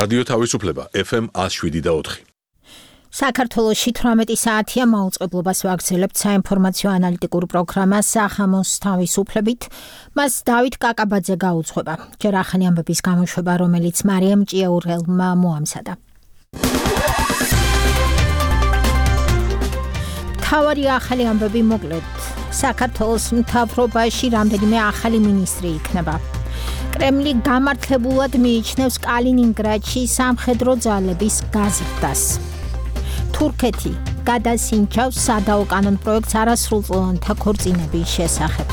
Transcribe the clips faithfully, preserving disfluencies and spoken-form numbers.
რადიო თავისუფლება ეფ ემ one oh seven და four. საქართველოში თვრამეტი საათია მაუწყებლობას ვაგრძელებთ საინფორმაციო ანალიტიკურ პროგრამას სახამოს თავისუფლებით. მას დავით კაკაბაძე გაუძღვება. ჯერ ახალი ამბების გამოშვება, რომელიც მარიამ ჭიაურელმა მოამზადა. მთავარი ახალი ამბები მოკლედ. საქართველოს მთავრობაში რამდენიმე ახალი მინისტრი იქნება. კრემლი გამართლებულად მიიჩნევს კალინინგრადში სამხედრო ძალების გაზრდას. თურქეთი გადასინჯავს სადაო კანონ პროექტს არასრულწლოვანთა ქორწინების შესახებ.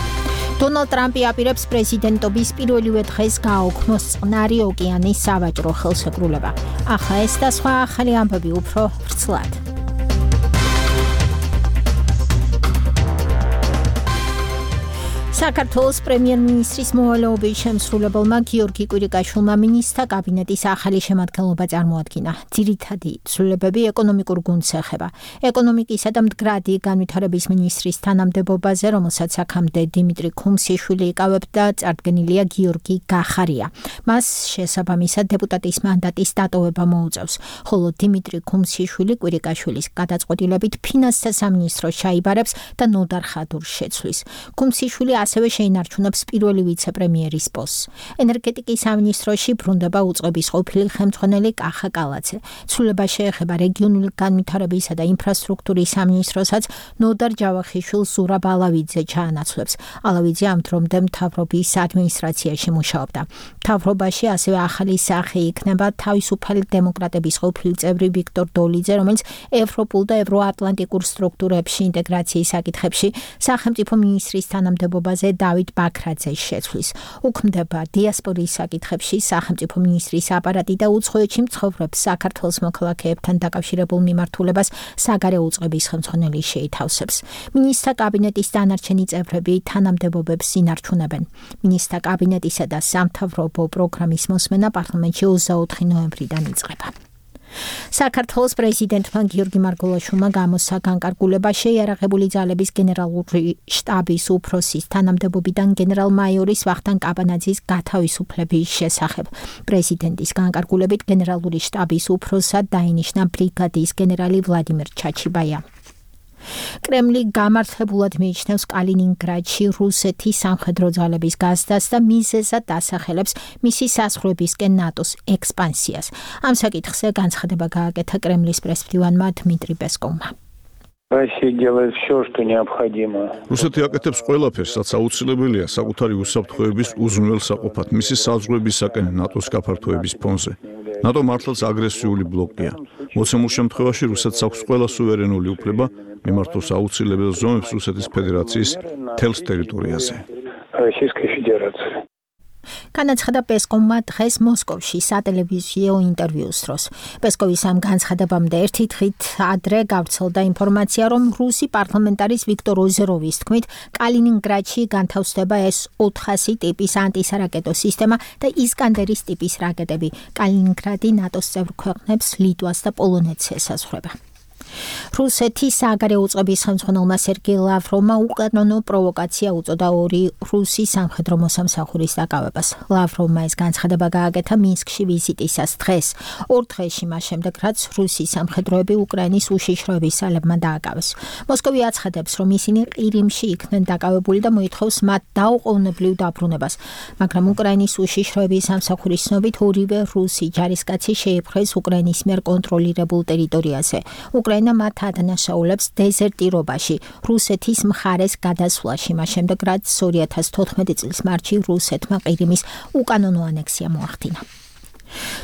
დონალდ ტრამპი აპირებს პრეზიდენტობის პირველივე დღეს გააუქმოს წყნარი ოკეანის სავაჭრო ხელშეკრულება. ახლა ეს და სხვა ახალი ამბები უფრო ვრცლად. საქართველოს პრემიერ-მინისტრის მოვალეობის შემსრულებელმა გიორგი კვირიკაშვილმა მინისტრთა კაბინეტის ახალი შემადგენლობა წარმოადგინა. ძირითადი ცვლილებები ეკონომიკურ გუნდს ეხება. ეკონომიკისა და მდგრადი განვითარების მინისტრის თანამდებობაზე, რომელსაც აქამდე დიმიტრი ქუმსიშვილი იკავებდა, წარდგენილია გიორგი გახარია. მას შესაბამისად დეპუტატის მანდატის დატოვება მოუწევს, ხოლო დიმიტრი ქუმსიშვილი კვირიკაშვილის გადაწყვეტილებით ფინანსთა სამინისტროს ჩაიბარებს და ნოდარ ხადურს შეცვლის. ქუმსიშვილი ასევე შეინარჩუნებს პირველი ვიცე-პრემიერის პოსტს. ენერგეტიკის სამინისტროში ბრუნდება უწყების ყოფილი ხელმძღვანელი კახა კალაძე. ცვლილება შეეხება რეგიონული განვითარებისა და ინფრასტრუქტურის სამინისტროსაც ნოდარ ჯავახიშვილს ზურაბ ალავიძე ჩაანაცვლებს. ალავიძე ამ დრომდე მთავრობის ადმინისტრაციაში მუშაობდა. მთავრობაში ასევე ახალი სახე იქნება თავისუფალი დემოკრატების ყოფილი წევრი ვიქტორ დოლიძე, რომელიც ევროპულ და ევროატლანტიკურ სტრუქტურებში ინტეგრაციის საკითხებში სახელმწიფო მინისტრის თანამდებობაზე დავით ბაქრაძეს შეცვლის. უქმდება დიასპორის საკითხებში სახელმწიფო მინისტრის აპარატი და უცხოეთში მცხოვრებ საქართველოს მოქალაქეებთან დაკავშირებულ მიმართულებას საგარეო უწყების ხელმძღვანელი შეითავსებს. მინისტრთა კაბინეტის დანარჩენი წევრები თანამდებობებს ინარჩუნებენ. მინისტრთა კაბინეტისა და სამთავრობო პროგრამის მოსმენა პარლამენტში ოცდაოთხი ნოემბრიდან იწყება. საქართველოს პრეზიდენტმა გიორგი მარგველაშვილმა გამოსცა განკარგულება შეიარაღებული ძალების გენერალური შტაბის უფროსის თანამდებობიდან გენერალ-მაიორის ვახტანგ კაბანაძის გათავისუფლების შესახებ. პრეზიდენტის განკარგულებით გენერალური შტაბის უფროსად დაინიშნა ბრიგადის გენერალი ვლადიმერ ჩაჩიბაია. კრემლი გამართლებულად მიიჩნევს კალინინგრადში რუსეთის სამხედრო ძალების გაზრდას და მიზეზად დასახელებს მისი საზღვრებისკენ ნატოს ექსპანსიას. ამ საკითხზე განცხადება გააკეთა კრემლის პრესმდივანმა დმიტრი პესკოვმა. რუსეთი აკეთებს ყველაფერს, რაც აუცილებელია საკუთარი უსაფრთხოების უზრუნველსაყოფად მისი საზღვრებისაკენ ნატოს გაფართოების ფონზე. ნატო მართლაც აგრესიული ბლოკია. მოცემულ შემთხვევაში რუსეთს აქვს ყველა სუვერენული უფლება მიმართოს აუცილებელ ზომებს რუსეთის ფედერაციის მთელს ტერიტორიაზე. განაცხადა პესკოვმა დღეს მოსკოვში სატელევიზიო ინტერვიუს დროს. პესკოვის ამ განცხადებამდე ერთი დღით ადრე გავრცელდა ინფორმაცია, რომ რუსი პარლამენტარის ვიქტორ ოზეროვის თქმით, კალინინგრადში განთავსდება ეს ოთხასი ტიპის ანტისარაკეტო სისტემა და ისკანდერის ტიპის რაკეტები. კალინინგრადი ნატოს წევრ ქვეყნებს ლიტვას და პოლონეთს ესაზღვრება. რუსეთის საგარეო უწყების ხელმძღვანელმა სერგეი ლავროვმა უკანონო პროვოკაცია უწოდა ორი რუსი სამხედრო მოსამსახურის დაკავებას. ლავროვმა ეს განცხადება გააკეთა მინსკში ვიზიტისას დღეს, ორ დღეში მას შემდეგ, რაც რუსი სამხედროები უკრაინის უშიშროების ძალებმა დააკავეს. მოსკოვი აცხადებს, რომ ისინი ყირიმში იქნენ დაკავებული და მოითხოვს მათ დაუყოვნებლივ დაბრუნებას, მაგრამ უკრაინის უშიშროების სამსახურის ცნობით ორივე რუსი ჯარისკაცი შეიპყრეს უკრაინის მიერ კონტროლირებულ ტერიტორიაზე. უკრაინა მათ ადანაშაულებს დეზერტირობაში, რუსეთის მხარეს გადასვლაში, მას შემდეგ, რაც ორი ათას თოთხმეტი წლის მარტში რუსეთმა ყირიმის უკანონო ანექსია მოახდინა.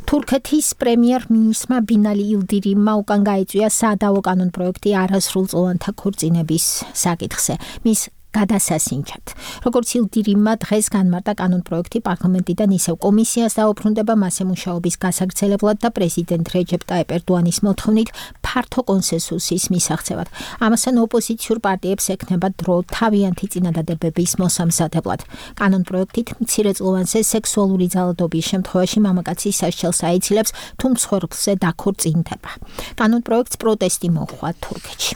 თურქეთის პრემიერ-მინისტრმა ბინალი ილდირიმმა უკან გაიწვია სადაო კანონ პროექტი არასრულწლოვანთა ქორწინების საკითხზე. მის გადასასინჯად. როგორც ილდირიმმა დღეს განმარტა კანონ პროექტი პარლამენტიდან ისევ კომისიას დაუბრუნდება მასზე მუშაობის გასაგრძელებლად და პრეზიდენტ რეჯეპ ტაიპ ერდოანის მოთხოვნით ფართო კონსენსუსის მისაღწევად. ამასთან ოპოზიციურ პარტიებს ექნება დრო თავიანთი წინადადებების მოსამზადებლად. კანონ პროექტით მცირეწლოვანზე სექსუალური ძალადობის შემთხვევაში მამაკაცის სასჯელს აიცილებს, თუ მსხვერპლზე დაქორწინდება. კანონ პროექტს პროტესტი მოჰყვა თურქეთში.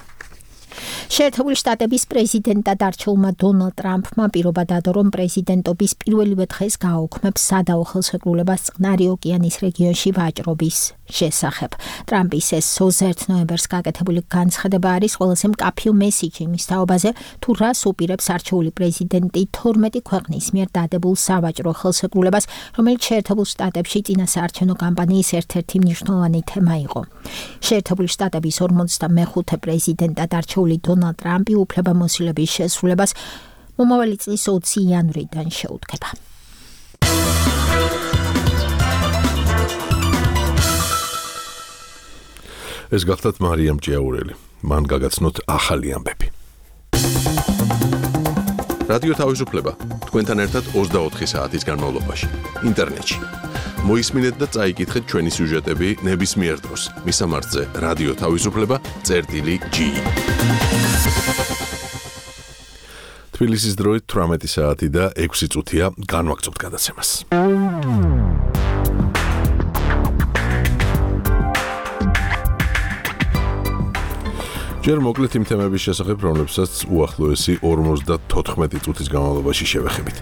შეერთებული შტატების პრეზიდენტად არჩეულმა დონალდ ტრამპმა პირობა დადო, რომ პრეზიდენტობის პირველივე დღეს გააუქმებს სადაო ხელშეკრულებას წყნარი ოკეანის რეგიონში ვაჭრობის შესახებ. ტრამპის ეს ოცდაერთი ნოემბერს გაკეთებული განცხადება არის ყველაზე მკაფიო მესიჯი იმის თაობაზე, თუ რას უპირებს არჩეული პრეზიდენტი თორმეტი ქვეყნის მიერ დადებულ სავაჭრო ხელშეკრულებას, რომელიც შეერთებულ შტატებში წინასაარჩევნო კამპანიის ერთ-ერთი მნიშვნელოვანი თემა იყო. შეერთებული შტატების ორმოცდამეხუთე პრეზიდენტად არჩეული დონალდ ტრამპი უფლებამოსილების შესრულებას მომავალი წლის ოცი იანვრიდან შეუდგება. ეს გახლდათ მარიამ ჭიაურელი. მან გაგაცნოთ ახალი ამბები. რადიო თავისუფლება თქვენთან ერთად ოცდაოთხი საათის განმავლობაში ინტერნეტში. მოისმინეთ და წაიკითხეთ ჩვენი სიუჟეტები ნებისმიერ დროს. მისამართზე რადიო თავისუფლება წერტილი ჯი. თბილისის დროით თვრამეტი საათი და ექვსი წუთია, განვაგრძობთ გადაცემას. ჯერ მოკლედ იმ თემების შესახებ, რომლებსაც უახლოესი ორმოცდათოთხმეტი წუთის განმავლობაში შევეხებით.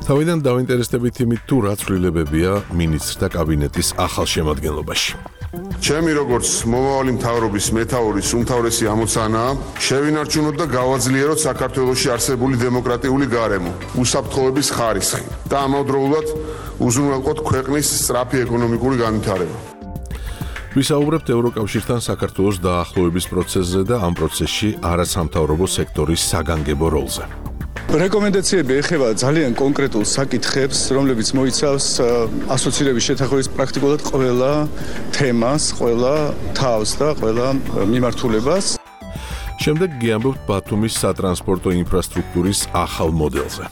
თავიდან დავინტერესდებით იმით, თუ რა ცვლილებებია მინისტრთა კაბინეტის ახალ შემადგენლობაში. ჩემი როგორც მომავალი მთავრობის მეთაურის უმთავრესი ამოცანაა შევინარჩუნოთ და გავაძლიეროთ საქართველოში არსებული დემოკრატიული გარემო, უსაფრთხოების ხარისხი და ამავდროულად უზრუნველყოთ ქვეყნის სწრაფი ეკონომიკური განვითარება. ვისაუბრებთ ევროკავშირთან საქართველოს დაახლოების პროცესზე და ამ პროცესში არასამთავრობო სექტორის საგანგებო როლზე. რეკომენდაციები ეხება ძალიან კონკრეტულ საკითხებს, რომლებიც მოიცავს ასოცირების შეთანხმების პრაქტიკულად ყველა თემას, ყველა თავს და ყველა მიმართულებას. შემდეგ გიამბობთ ბათუმის სატრანსპორტო ინფრასტრუქტურის ახალ მოდელზე.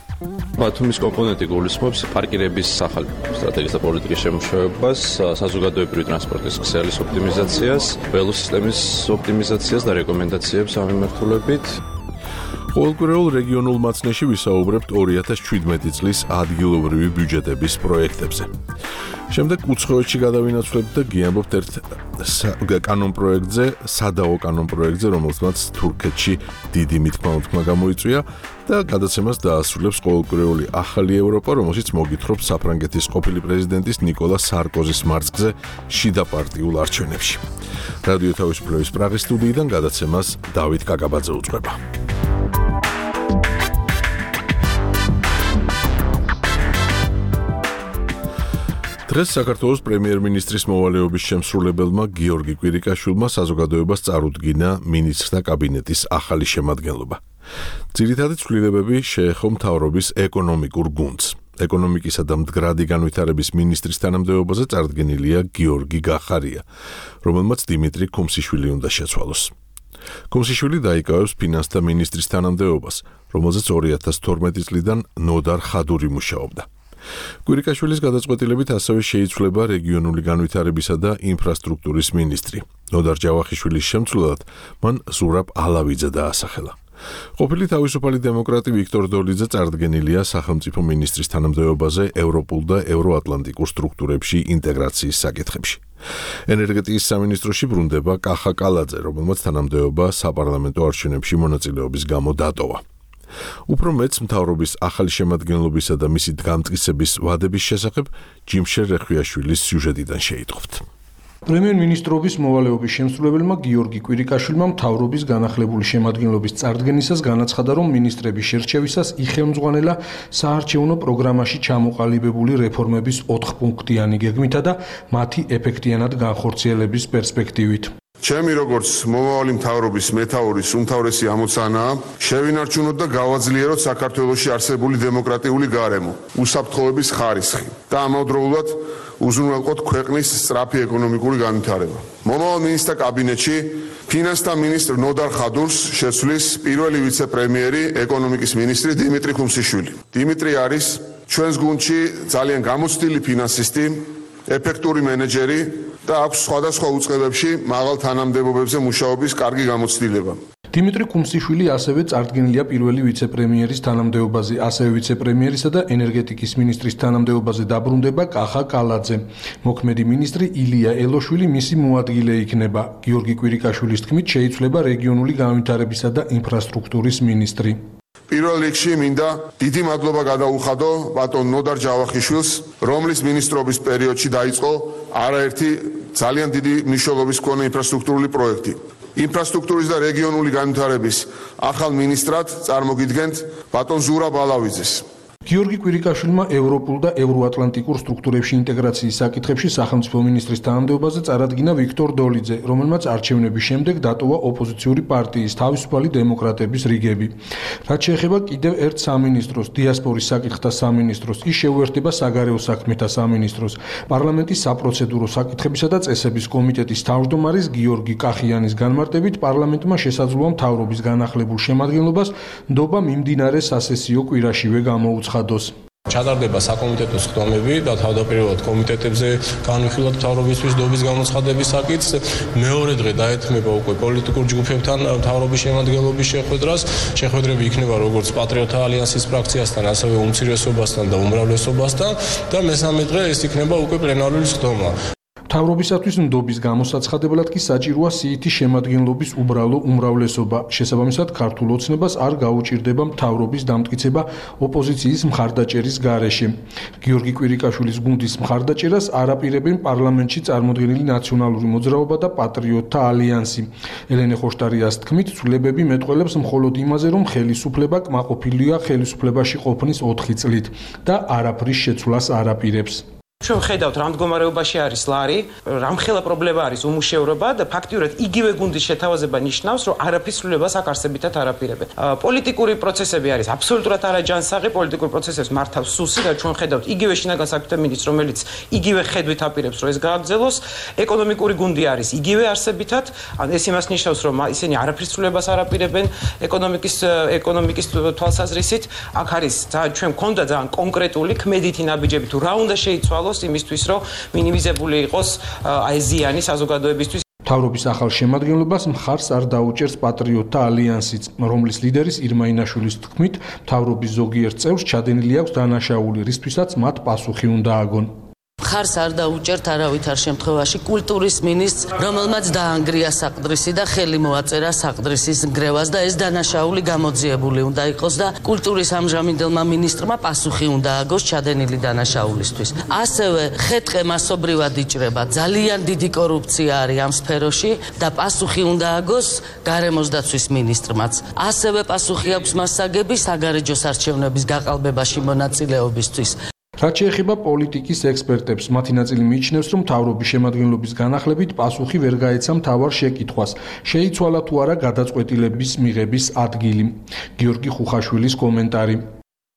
ბათუმის კომპონენტი გულისხმობს პარკირების ახალ სტრატეგიის და პოლიტიკის შემუშავებას, საზოგადოებრივი ტრანსპორტის ქსელის ოპტიმიზაციას, ველოსისტემის ოპტიმიზაციას და რეკომენდაციებს ამ მიმართულებით. ყოველკვირეულ რეგიონულ მაცნეში ვისაუბრებთ ორი ათას ჩვიდმეტი წლის ადგილობრივი ბიუჯეტების პროექტებზე. შემდეგ უცხოეთში გადავინაცვლებთ და გიამბობთ ერთ კანონ პროექტზე, სადაო კანონ პროექტზე, რომელსაც თურქეთში დიდი მითქმა-მოთქმა გამოიწვია და გადაცემას დაასრულებს ყოველკვირეული ახალი ევროპა, რომელშიც მოგითხრობთ საფრანგეთის ყოფილი პრეზიდენტის ნიკოლა სარკოზის მარცხზე შიდა პარტიულ არჩევნებში. რადიო თავისუფლების პრაღის სტუდიიდან გადაცემას დავით კაკაბაძე უძღვება. დღეს საქართველოს პრემიერ-მინისტრის მოვალეობის შემსრულებელმა გიორგი კვირიკაშვილმა საზოგადოებას წარუდგინა მინისტრთა კაბინეტის ახალი შემადგენლობა. ძირითადი ცვლილებები შეეხო მთავრობის ეკონომიკურ გუნდს. ეკონომიკისა და მდგრადი განვითარების მინისტრის თანამდებობაზე წარდგენილია გიორგი გახარია, რომელმაც დიმიტრი ქუმსიშვილი უნდა შეცვალოს. ქუმსიშვილი დაიკავებს ფინანსთა მინისტრის თანამდებობას, რომელზეც ორი ათას თორმეტი წლიდან ნოდარ ხადური მუშაობდა. კვირიკაშვილის გადაწყვეტილებით ასევე შეიცვლება რეგიონული განვითარებისა და ინფრასტრუქტურის მინისტრი. ნოდარ ჯავახიშვილის შემცვლელად მან ზურაბ ალავიძე დაასახელა. ყოფილი თავისუფალი დემოკრატი ვიქტორ დოლიძე წარდგენილია სახელმწიფო მინისტრის თანამდებობაზე ევროპულ და ევროატლანტიკურ სტრუქტურებში ინტეგრაციის საკითხებში. ენერგეტიკის სამინისტროში ბრუნდება კახა კალაძე, რომელმაც თანამდებობა საპარლამენტო არჩევნებში მონაწილეობის გამო დატოვა. უფრო მეც მთავრობის ახალი შემადგენლობისა და მისი გამტკიცების ვადების შესახებ ჯიმშერ რეხვიაშვილის სიუჟეტიდან შეიტყობთ. პრემიერ-მინისტრობის მოვალეობის შემსრულებელმა გიორგი კვირიკაშვილმა მთავრობის განახლებული შემადგენლობის წარდგენისას განაცხადა, რომ მინისტრების შერჩევისას იხელმძღვანელა საარჩევნო პროგრამაში ჩამოყალიბებული რეფორმების ოთხპუნქტიანი გეგმითა და მათი ეფექტიანად განხორციელების პერსპექტივით. ჩემი როგორც მომავალი მთავრობის მეთაურის უმთავრესი ამოცანაა შევინარჩუნოთ და გავაძლიეროთ საქართველოში არსებული დემოკრატიული გარემო, უსაფრთხოების ხარისხი და ამავდროულად უზრუნველყოთ ქვეყნის სწრაფი ეკონომიკური განვითარება. მომავალ მინისტრთა კაბინეტში ფინანსთა მინისტრ ნოდარ ხადურს შეცვლის პირველი ვიცე-პრემიერი, ეკონომიკის მინისტრი დიმიტრი ქუმსიშვილი. დიმიტრი არის ჩვენს გუნდში ძალიან გამოცდილი ფინანსისტი, ეფექტური მენეჯერი და აქვს სხვადასხვა უწყებებში მაღალ თანამდებობებზე მუშაობის კარგი გამოცდილება. დიმიტრი კუმსიშვილი ასევე წარდგენილია პირველი ვიცე-პრემიერის თანამდებობაზე, ასევე ვიცე-პრემიერისა და ენერგეტიკის მინისტრის თანამდებობაზე დაბრუნდება კახა კალაძე. მოქმედი მინისტრი ილია ელოშვილი მისი მოადგილე იქნება. გიორგი კვირიკაშვილის თქმით, შეიცვლება რეგიონული განვითარებისა და ინფრასტრუქტურის მინისტრი. პირველ რიგში მინდა დიდი მადლობა გადაუხადო ბატონ ნოდარ ჯავახიშვილს, რომლის მინისტრობის პერიოდში დაიწყო არაერთი ძალიან დიდი მნიშვნელობის მქონე ინფრასტრუქტურული პროექტი. ინფრასტრუქტურის და რეგიონული განვითარების ახალ მინისტრად წარმოგიდგენთ ბატონ ზურაბ ალავიძეს. გიორგი კვირიკაშვილმა ევროპულ და ევროატლანტიკურ სტრუქტურებში ინტეგრაციის საკითხებში სახელმწიფო მინისტრის თანამდებობაზე წარადგინა ვიქტორ დოლიძე, რომელმაც არჩევნების შემდეგ დატოვა ოპოზიციური პარტიის თავისუფალი დემოკრატების რიგები. რაც შეეხება კიდევ ერთ სამინისტროს, დიასპორის საკითხთა სამინისტროს, ის შეუერთდება საგარეო საქმეთა სამინისტროს, პარლამენტის საპროცედურო საკითხებისა და წესების კომიტეტის თავმჯდომარის გიორგი კახიანის განმარტებით, პარლამენტმა შესაძლოა მთავრობის განახლებულ შემადგენლობას ნდობა მიმდინარე სასესიო კვირაშივე გამოუცხადოს. ჩატარდება საკომიტეტო სხდომები და თავდაპირველად კომიტეტებზე განვიხილოთ მთავრობისთვის ნდობის გამოცხადების საკითხს. მეორე დღე დაეთმება უკვე პოლიტიკურ ჯგუფებთან მთავრობის შემადგენლობის შეხვედრას. შეხვედრები იქნება როგორც პატრიოტთა ალიანსის ფრაქციასთან, ასევე უმცირესობასთან და უმრავლესობასთან და მესამე დღე ეს იქნება უკვე პლენარული სხდომა. მთავრობისათვის ნდობის გამოსაცხადებლად კი საჭიროა სიითი შემადგენლობის უბრალო უმრავლესობა. შესაბამისად, ქართულ ოცნებას არ გაუჭირდება მთავრობის დამტკიცება ოპოზიციის მხარდაჭერის გარეშე. გიორგი კვირიკაშვილის გუნდის მხარდაჭერას არაპირებენ პარლამენტში წარმოდგენილი ნაციონალური მოძრაობა და პატრიოტთა ალიანსი. ელენე ხოშტარიას თქმით, ცვლილებები მეტყველებს მხოლოდ იმაზე, რომ ხელისუფლება კმაყოფილია ხელისუფლებაში ყოფნის ოთხი წლით და არაფრის შეცვლას არაპირებს. ჩვენ ხედავთ რა მდგომარეობაში არის ლარი, რამხელა პრობლემა არის უმუშევრობა და ფაქტიურად იგივე გუნდის შეთავაზება ნიშნავს, რომ არაფრის ცვლილებას აქ არსებითად არაპირებენ. პოლიტიკური პროცესები არის აბსოლუტურად არაჯანსაღი, პოლიტიკურ პროცესებს მართავს სუსი და ჩვენ ხედავთ იგივე შინაგან საქმეთა მინისტრს, რომელიც იგივე ხედვით აპირებს, რომ ეს გააგრძელოს. ეკონომიკური გუნდი არის იგივე არსებითად, ან ეს იმას ნიშნავს, რომ ისინი არაფრის ცვლილებას არაპირებენ ეკონომიკის ეკონომიკის თვალსაზრისით. აქ არის ჩვენ მქონდა ძალიან კონკრეტული ქმედითი ნაბიჯები თუ რა უნდა შეიცვალოს იმისთვის, რომ მინიმიზებული იყოს აი ზიანი საზოგადოებისთვის. მთავრობის ახალ შემადგენლობას მხარს არ დაუჭერს პატრიოტთა ალიანსიც, რომლის ლიდერის ირმაინაშვილის თქმით, მთავრობის ზოგიერთ წევრს ჩადენილი აქვს დანაშაული, რისთვისაც მათ პასუხი უნდა აგონ. მხარს არ დაუჭერთ არავითარ შემთხვევაში კულტურის მინისტრს, რომელმაც დაანგრია საყდრისი და ხელი მოაწერა საყდრისის ნგრევას და ეს დანაშაული გამოძიებული უნდა იყოს და კულტურის ამჟამინდელმა მინისტრმა პასუხი უნდა აგოს ჩადენილი დანაშაულისთვის. ასევე ხეთყე მასობრივად იჭრება, ძალიან დიდი კორუფცია არის ამ სფეროში და პასუხი უნდა აგოს გარემოს დაცვის მინისტრმაც. ასევე პასუხი აქვს მასაგები საგარეჯოს არჩევნების გაყალბებაში მონაწილეობისთვის. რაც შეეხება პოლიტიკის ექსპერტებს, მათი ნაწილი მიიჩნევს, რომ მთავრობის შემადგენლობის განახლებით პასუხი ვერ გაეცა მთავარ შეკითხვას. შეიცვალა თუ არა გადაწყვეტილების მიღების ადგილი. გიორგი ხუხაშვილის კომენტარი.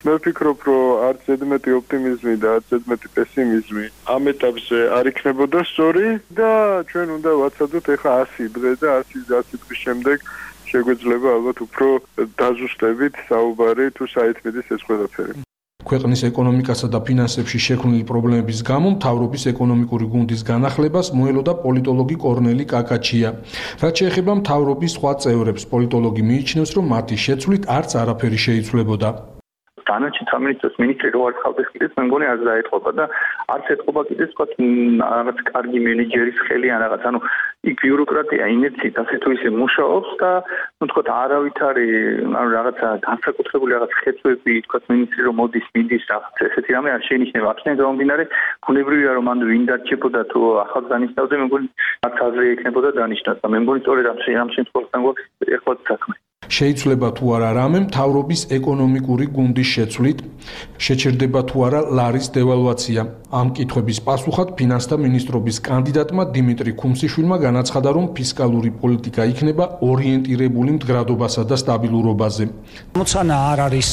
მე ვფიქრობ, რომ არც ზედმეტი ოპტიმიზმი და არც ზედმეტი პესიმიზმი ამ ეტაპზე არ იქნებოდა სწორი და ჩვენ უნდა ვაცადოთ ეხა ასი დღე და ასი დღის შემდეგ შეგვეძლება ალბათ უფრო დაზუსტებით საუბარი თუ საერთმედის ეს ყველაფერი. ქვეყნის ეკონომიკასა და ფინანსებში შექმნილი პრობლემების გამო მთავრობის ეკონომიკური გუნდის განახლებას მოელოდა პოლიტოლოგი კორნელი კაკაჩია. რაც შეეხება მთავრობის სხვა წევრებს, პოლიტოლოგი მიიჩნევს, რომ მათი შეცვლით არც არაფერი შეიცვლებოდა. დანარჩენ სამინისტროს მინისტრი რო არ ხავდეს კიდეც მე მგონი არ დაეთყობა და არც ეთყობა კიდეც თქვა რაღაც კარგი მენეჯერის ხელი ან რაღაც ანუ იქ ბიუროკრატია ინერციით ასე თუ ისე მუშაობს და ну თქვა არავითარი ანუ რაღაცა განსაკუთრებული რაღაც ხეცვები თქვა მინისტრი რომ მოდის მიდის რაღაც ესეთი რამე არ შეინიშნება აქედან გამომდინარე ბუნებრივია რომ ანუ ვინ დარჩებოდა თუ ახალ განისწავდა მე მგონი არც აზრი ექნებოდა დანიშნას და მე მგონი სწორედ ამ შემთხვევაში გვაქვს ეხლა საქმე. შეიძლება თუ არა რამე მთავრობის ეკონომიკური გუნდის შეცვლით, შეჩერდება თუ არა ლარის დევალვაცია. ამ კითხვების პასუხად ფინანსთა მინისტრობის კანდიდატმა დიმიტრი კუმსიშვილმა განაცხადა, რომ ფისკალური პოლიტიკა იქნება ორიენტირებული მდგრადობასა და სტაბილურობაზე. ამოცანა არ არის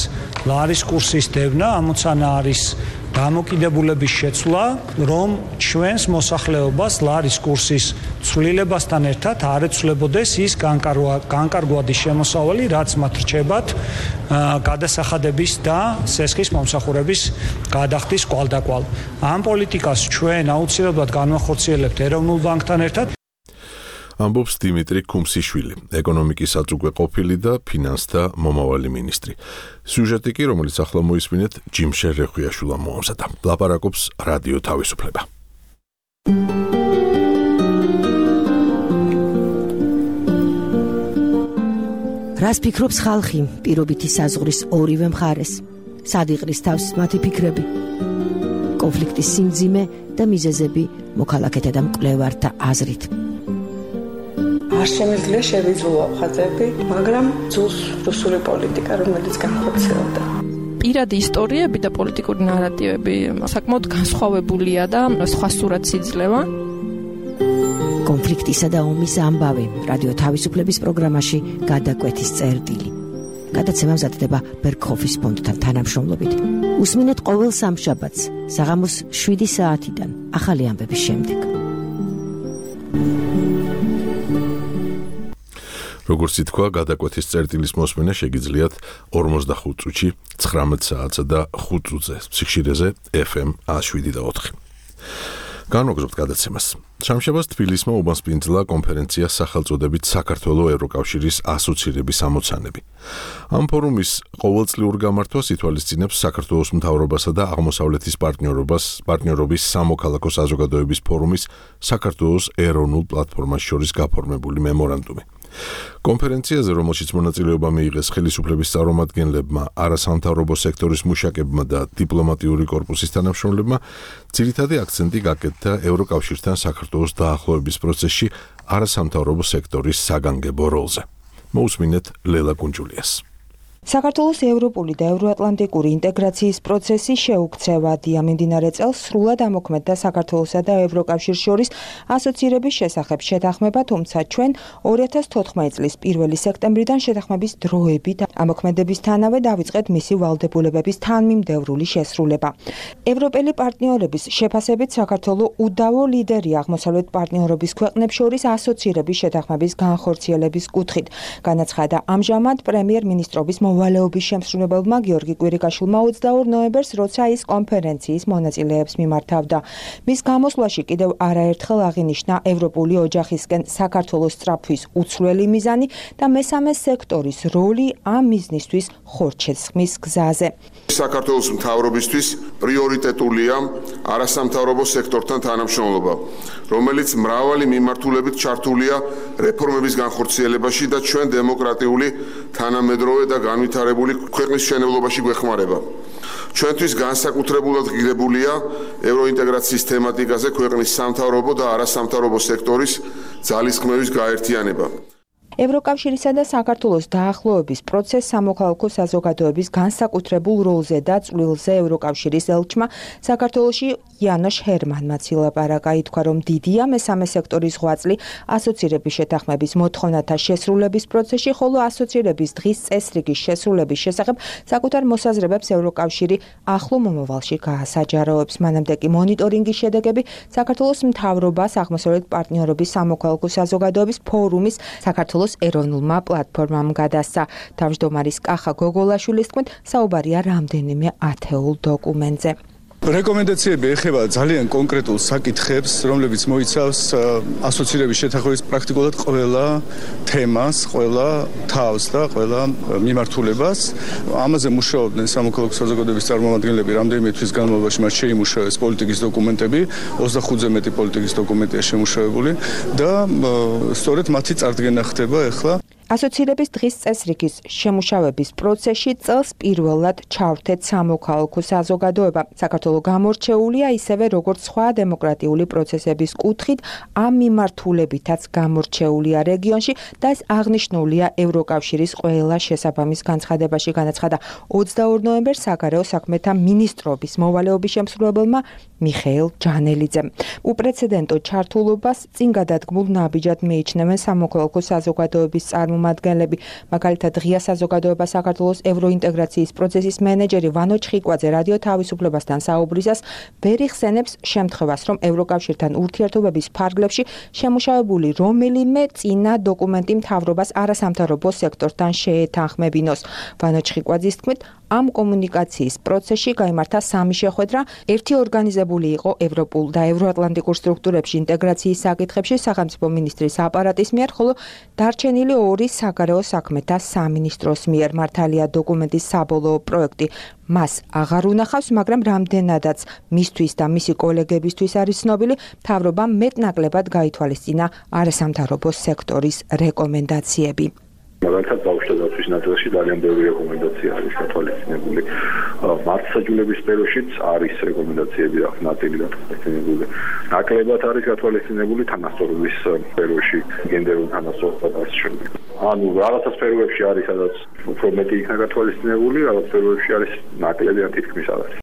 ლარის კურსის დევნა, ამოცანა არის დამოკიდებულების შეცვლა, რომ ჩვენს მოსახლეობას ლარის კურსის ცვლილებასთან ერთად არ ეცვლებოდეს ის განკარგვადი შემოსავალი, რაც მათ რჩებათ გადასახადების და სესხის მომსახურების გადახდის კვალდაკვალ. ამ პოლიტიკას ჩვენ აუცილებლად განვახორციელებთ ეროვნულ ბანკთან ერთად. ამბობს დიმიტრი ქუმსიშვილი, ეკონომიკის აწუკვე ყოფილი და ფინანსთა მომავალი მინისტრი. სიუჟეტი კი, რომელიც ახლა მოისმინეთ, ჯიმშე რეხვიაშვილმა მოამზადა. ლაპარაკობს რადიო თავისუფლება. რას ფიქრობს ხალხი პირობითი საზღვრის ორივე მხარეს? სად იყრის თავს მათი ფიქრები? კონფლიქტის სიმძიმე და მიზეზები მოქალაქეთა და მკვლევართა აზრით. არ შემიძლია შევიძულო ხაზები, მაგრამ ძულს რუსული პოლიტიკა, რომელიც განხორციელდა. პირადი ისტორიები და პოლიტიკური ნარატივები საკმაოდ განსხვავებულია და სხვა სურათს იძლევა. კონფლიქტისა და ომის ამბავი რადიო თავისუფლების პროგრამაში გადაკვეთის წერტილი. გადაცემა მზადდება ბერგჰოფის ფონდთან თანამშრომლობით. უსმინეთ ყოველ სამშაბათს საღამოს შვიდი საათიდან ახალი ამბების შემდეგ. როგორც ითქვა, გადაკვეთის წერტილის მოსმენა შეგიძლიათ ორმოცდახუთ წუთში, ცხრამეტ საათსა და ხუთ წუთზე სიხშირეზე ეფ ემ ათს შვიდი და ოთხი. განვაგრძობთ გადაცემას. შამშაბათს თბილისმა უბანსპინძლა კონფერენცია სახელწოდებით საქართველოს ევროკავშირის ასოცირების ამოცანები. ამ ფორუმის ყოველწლიურ გამართვას ითვალისწინებს საქართველოს მთავრობასა და აღმოსავლეთის პარტნიორობას პარტნიორობის სამოქალაქო საზოგადოების ფორუმის საქართველოს ეროვნულ პლატფორმას შორის გაფორმებული მემორანდუმი. კონფერენციაზე, რომელშიც მონაწილეობა მიიღეს ხელისუფლების წარმომადგენლებმა, არასამთავრობო სექტორის მუშაკებმა და დიპლომატიური კორპუსის თანამშრომლებმა, ძირითადი აქცენტი გაკეთდა ევროკავშირთან საქართველოს დაახლოების პროცესში არასამთავრობო სექტორის საგანგებო როლზე. მოусმინეთ ლელა კუნჯულიას. საქართველოს ევროპული და ევროატლანტიკური ინტეგრაციის პროცესი შეუქცევადია. მიმდინარე წელს სრულად ამოქმედდა საქართველოსა და ევროკავშირს შორის ასოცირების შესახებ შეთანხმება, თუმცა ჩვენ ორი ათას თოთხმეტი წლის პირველი სექტემბრიდან შეთანხმების დროებით ამოქმედებისთანავე დავიწყეთ მისი ვალდებულებების თანმიმდევრული შესრულება. ევროპელი პარტნიორების შეფასებით საქართველოს უდავო ლიდერია აღმოსავლეთ პარტნიორობის ქვეყნებს შორის ასოცირების შეთანხმების განხორციელების კუთხით. განაცხადა ამჟამად პრემიერ-მინისტრობის მოვალეობის შემსრულებელმა გიორგი კვირიკაშვილმა ოცდაორ ნოემბერს, როცა ის კონფერენციის მონაწილეებს მიმართავდა. მის გამოსვლაში კიდევ არაერთხელ აღინიშნა ევროპული ოჯახისკენ საქართველოს სწრაფვის უცვლელი მიზანი და მესამე სექტორის როლი ამ მიზნისთვის ხორჩესხმის გზაზე. საქართველოს მთავრობისთვის პრიორიტეტულია არასამთავრობო სექტორთან თანამშრომლობა, რომელიც მრავალი მიმართულებით ჩართულია რეფორმების განხორციელებაში და ჩვენ დემოკრატიული, თანამედროვე და განვითარებული ქვეყნის მშენებლობაში გვეხმარება. ჩვენთვის განსაკუთრებულად ღირებულია ევროინტეგრაციის თემატიკაზე ქვეყნის სამთავრობო და არასამთავრობო სექტორის ძალისხმევის გაერთიანება. ევროკავშირისა და საქართველოს დაახლოების პროცესს სამოქალაქო საზოგადოების განსაკუთრებულ როლზე და წვლილზე ევროკავშირის ელჩმა საქართველოში იანოშ ჰერმანმაც ილაპარაკა. ითქვა, რომ დიდია მესამე სექტორის ღვაწლი ასოცირების შეთანხმების მოთხოვნათა შესრულების პროცესში, ხოლო ასოცირების დღის წესრიგის შესრულების შესახებ საკუთარ მოსაზრებებს ევროკავშირი ახლო მომავალში გაასაჯაროებს. მანამდე კი მონიტორინგის შედეგები საქართველოს მთავრობას აღმოსავლეთ პარტნიორობის სამოქალაქო საზოგადოების ფორუმის საქართველოს ეროვნულმა პლატფორმამ გადასცა. თავმჯდომარის კახა გოგოლაშვილის თქმით, საუბარია რამდენიმე ათეულ დოკუმენტზე. რეკომენდაციები ეხება ძალიან კონკრეტულ საკითხებს, რომლებიც მოიცავს ასოცირების შეთანხმების პრაქტიკულად ყველა თემას, ყველა თავს და ყველა მიმართულებას. ამაზე მუშაობდნენ სამოქალაქო საზოგადოების წარმომადგენლები რამდენიმე თვის განმავლობაში, მათ შეიმუშავეს პოლიტიკის დოკუმენტები, ოცდახუთზე მეტი პოლიტიკის დოკუმენტია შემუშავებული და სწორედ მათი წარდგენა ხდება ახლა. ასოცირების დღის წესრიგის შემუშავების პროცესში წელს პირველად ჩავრთეთ სამოქალაქო საზოგადოება. საქართველოს გამორჩეულია ისევე როგორც სხვა დემოკრატიული პროცესების კუთხით, ამ მიმართულებითაც გამორჩეულია რეგიონში და ეს აღნიშნულია ევროკავშირის ყველა შესაბამის განცხადებაში. განაცხადა ოცდაორ ნოემბერს საგარეო საქმეთა მინისტრობის მოვალეობის შემსრულებელმა მიხეილ ჯანელიძემ. უპრეცედენტო ჩართულობას წინ გადადგმულ ნაბიჯად მიიჩნევენ სამოქალაქო საზოგადოების წარმომადგენლები წარმომადგენლები. მაგალითად, ღია საზოგადოება საქართველოს ევროინტეგრაციის პროცესის მენეჯერი ვანო ჩხიკვაძე რადიო თავისუფლებასთან საუბრისას ვერ იხსენებს შემთხვევას, რომ ევროკავშირთან ურთიერთობების ფარგლებში შემუშავებული რომელიმე წინა დოკუმენტი მთავრობას არასამთავრობო სექტორთან შეეთანხმებინოს. ვანო ჩხიკვაძის თქმით, ამ კომუნიკაციის პროცესში გაიმართა სამი შეხვედრა, ერთი ორგანიზებული იყო ევროპულ და ევროატლანტიკურ სტრუქტურებში ინტეგრაციის საკითხებში სახელმწიფო მინისტრის აპარატის მიერ, ხოლო დარჩენილი ორი საგარეო საქმეთა სამინისტროს მიერ. მართალია დოკუმენტის საბოლოო პროექტი მას აღარ უნახავს, მაგრამ რამდენადაც მისთვის და მისი კოლეგებისთვის არის ცნობილი, მთავრობამ მეტნაკლებად გაითვალისწინა არასამთავრობო სექტორის რეკომენდაციები. მაგალითად, ბავშვთა დაცვის ნაწილში ძალიან ბევრი რეკომენდაცია არის გათვალისწინებული. მართლმსაჯულების სფეროშიც არის რეკომენდაციები აქვს ნაწილი გათვალისწინებული. ნაკლებად არის გათვალისწინებული თანასწორობის სფეროში, გენდერულ თანასწორობას და ასე შემდეგ. ანუ რაღაცა სფეროებში არის, სადაც უფრო მეტი იქნა გათვალისწინებული, რაღაც სფეროებში არის ნაკლები ან თითქმის არ არის.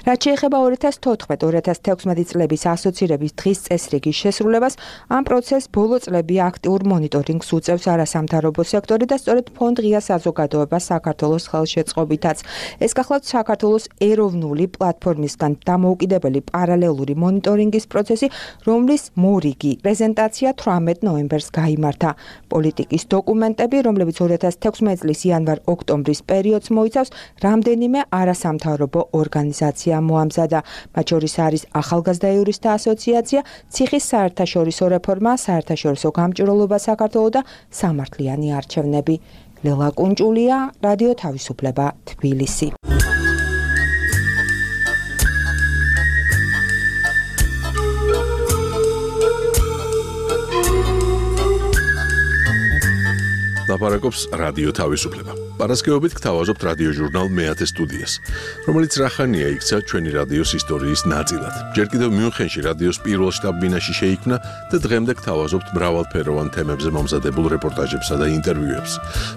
რაც შეეხება ორი ათას თოთხმეტ ორი ათას თექვსმეტ წლების ასოცირების დღის წესრიგის შესრულებას, ამ პროცესს ბოლო წლები აქტიურ მონიტორინგს უწევს არასამთავრობო სექტორი და სწორედ ფონდ ღია საზოგადოება საქართველოს ხელშეწყობითაც. ეს გახლავთ საქართველოს ეროვნული პლატფორმისგან დამოუკიდებელი პარალელური მონიტორინგის პროცესი, რომლის მორიგი პრეზენტაცია თვრამეტ ნოემბერს გაიმართა. პოლიტიკის დოკუმენტები, რომლებიც ორი ათას თექვსმეტ წლის იანვარ-ოქტომბრის პერიოდს მოიცავს, რამდენიმე არასამთავრობო ორგანიზაცია მოამზადა. მათ შორის არის ახალგაზრდა იურისტთა ასოციაცია, ციხის საერთაშორისო რეფორმა, საერთაშორისო გამჭვირვალობა საქართველოს და სამართლიანი არჩევნები. ლელა კუნჭულია, რადიო თავისუფლება, თბილისი. ლაპარაკობს რადიო თავისუფლება. პარასკევობით გთავაზობთ რადიო ჟურნალ მეათე სტუდიას, რომელიც რახანია იქცა ჩვენი რადიოს ისტორიის ნაწილად. ჯერ კიდევ მიუნხენში რადიოს პირველ შტაბ-ბინაში შეიქმნა და დღემდე გთავაზობთ მრავალფეროვან თემებზე მომზადებულ რეპორტაჟებსა და ინტერვიუებს,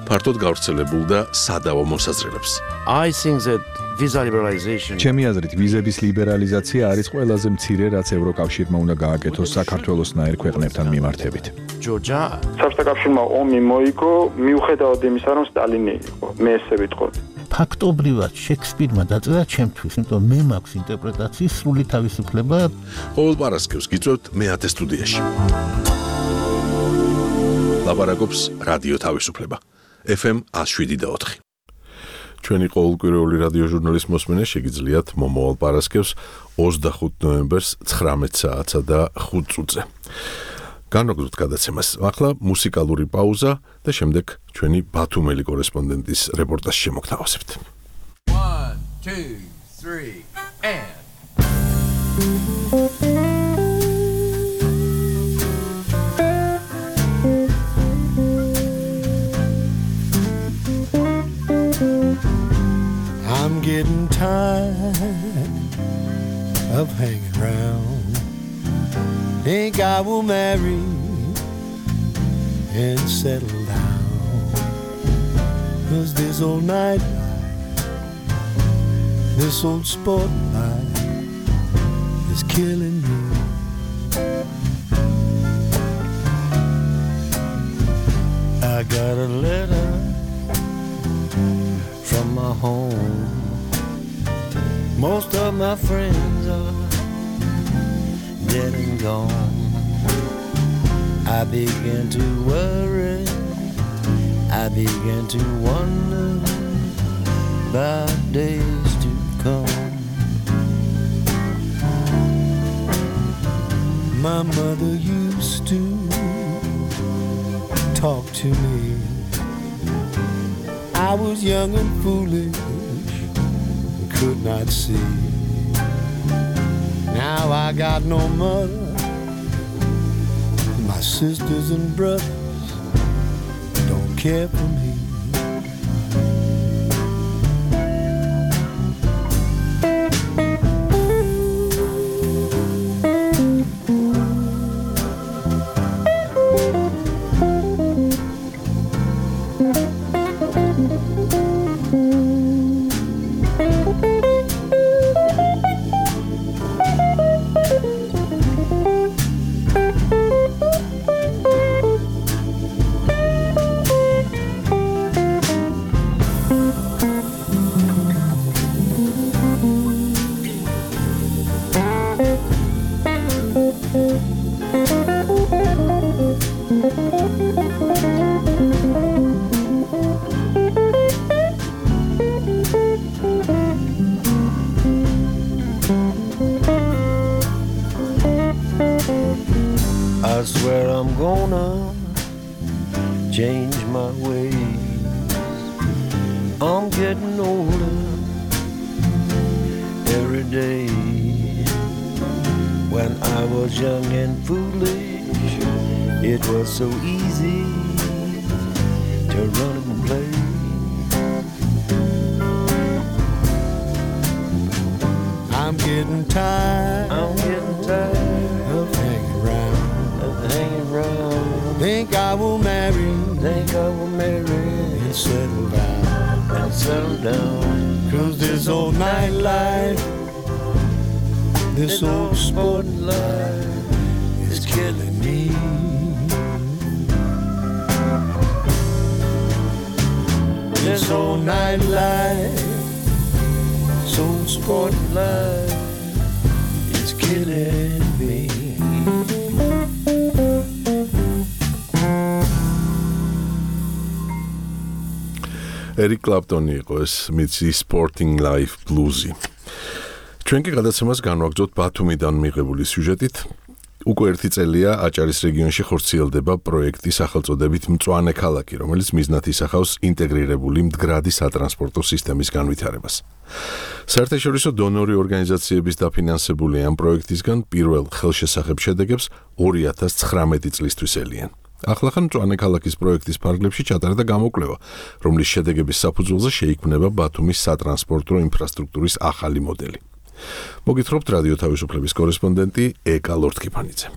ფართოდ გავრცელებულ და სადავო მოსაზრებებს. I think that visa liberalization ჩემი აზრით, ვიზების ლიბერალიზაცია არის ყველაზე მცირე, რაც ევროკავშირმა უნდა გააკეთოს საქართველოსნაირ ქვეყნებთან მიმართებით. Georgia საბჭოთა კავშირმა ომი მოიგო, მიუხედავად იმისა, რომ სტალინი იყო. მე ესე ვიტყოდი. ფაქტობრივად შექსპირმა დაწერა ჩემთვის, იმიტომ მე მაქვს ინტერპრეტაციის სრული თავისუფლება. ყოველ პარასკევს გიწევთ მეათე სტუდიაში. ლაპარაკობს რადიო თავისუფლება. ეფ ემ one oh seven point four. ჩვენი ყოველკვირეული რადიო ჟურნალის მოსმენა შეგიძლიათ მომავალ პარასკევს ოცდახუთი ნოემბერს ცხრამეტ საათსა და ხუთ წუთზე. განვაგრძოთ გადაცემას. ახლა მუსიკალური პაუზა და შემდეგ ჩვენი ბათუმელი კორესპონდენტის რეპორტაჟი შემოგთავაზებთ. one two three and I'm getting tired of hanging around. Think I will marry and settle down. 'Cause this old night life, this old sport life is killing me. I got a letter from my home. Most of my friends are dead and gone. I began to worry, I began to wonder about days to come. My mother used to talk to me. I was young and foolish, could not see. Now I got no mother, my sisters and brothers don't care for me. change my ways. I'm getting older every day. When I was young and foolish, it was so easy to run and play. I'm getting tired, I'm getting tired of hanging around, of hanging around. Think I will marry, think I will marry and settle down, and settle down. 'Cause this old nightlife, this old sport life is killing me. This old nightlife, this old sport life is killing me. Eric Clapton იყო ეს მიცი Sporting Life Blues-ი. ჩვენ კი გადაცემას განვაგრძოთ ბათუმიდან მიღებული სიუჟეტით. უკვე ერთი წელია აჭარის რეგიონში ხორციელდება პროექტი სახელწოდებით მწვანე ქალაქი, რომელიც მიზნად ისახავს ინტეგრირებული მდგრადი სატრანსპორტო სისტემის განვითარებას. საერთაშორისო დონორი ორგანიზაციების დაფინანსებული ამ პროექტისგან პირველ ხელშესახებ შედეგებს ორი ათას ცხრამეტი წლისთვის ელიან. ახლახან მწვანე ქალაქის პროექტის ფარგლებში ჩატარდა გამოკვლევა, რომლის შედეგების საფუძველზე შეიქმნება ბათუმის სატრანსპორტო ინფრასტრუქტურის ახალი მოდელი. მოგითხრობთ რადიო თავისუფლების კორესპონდენტი ეკა ლორთქიფანიძე.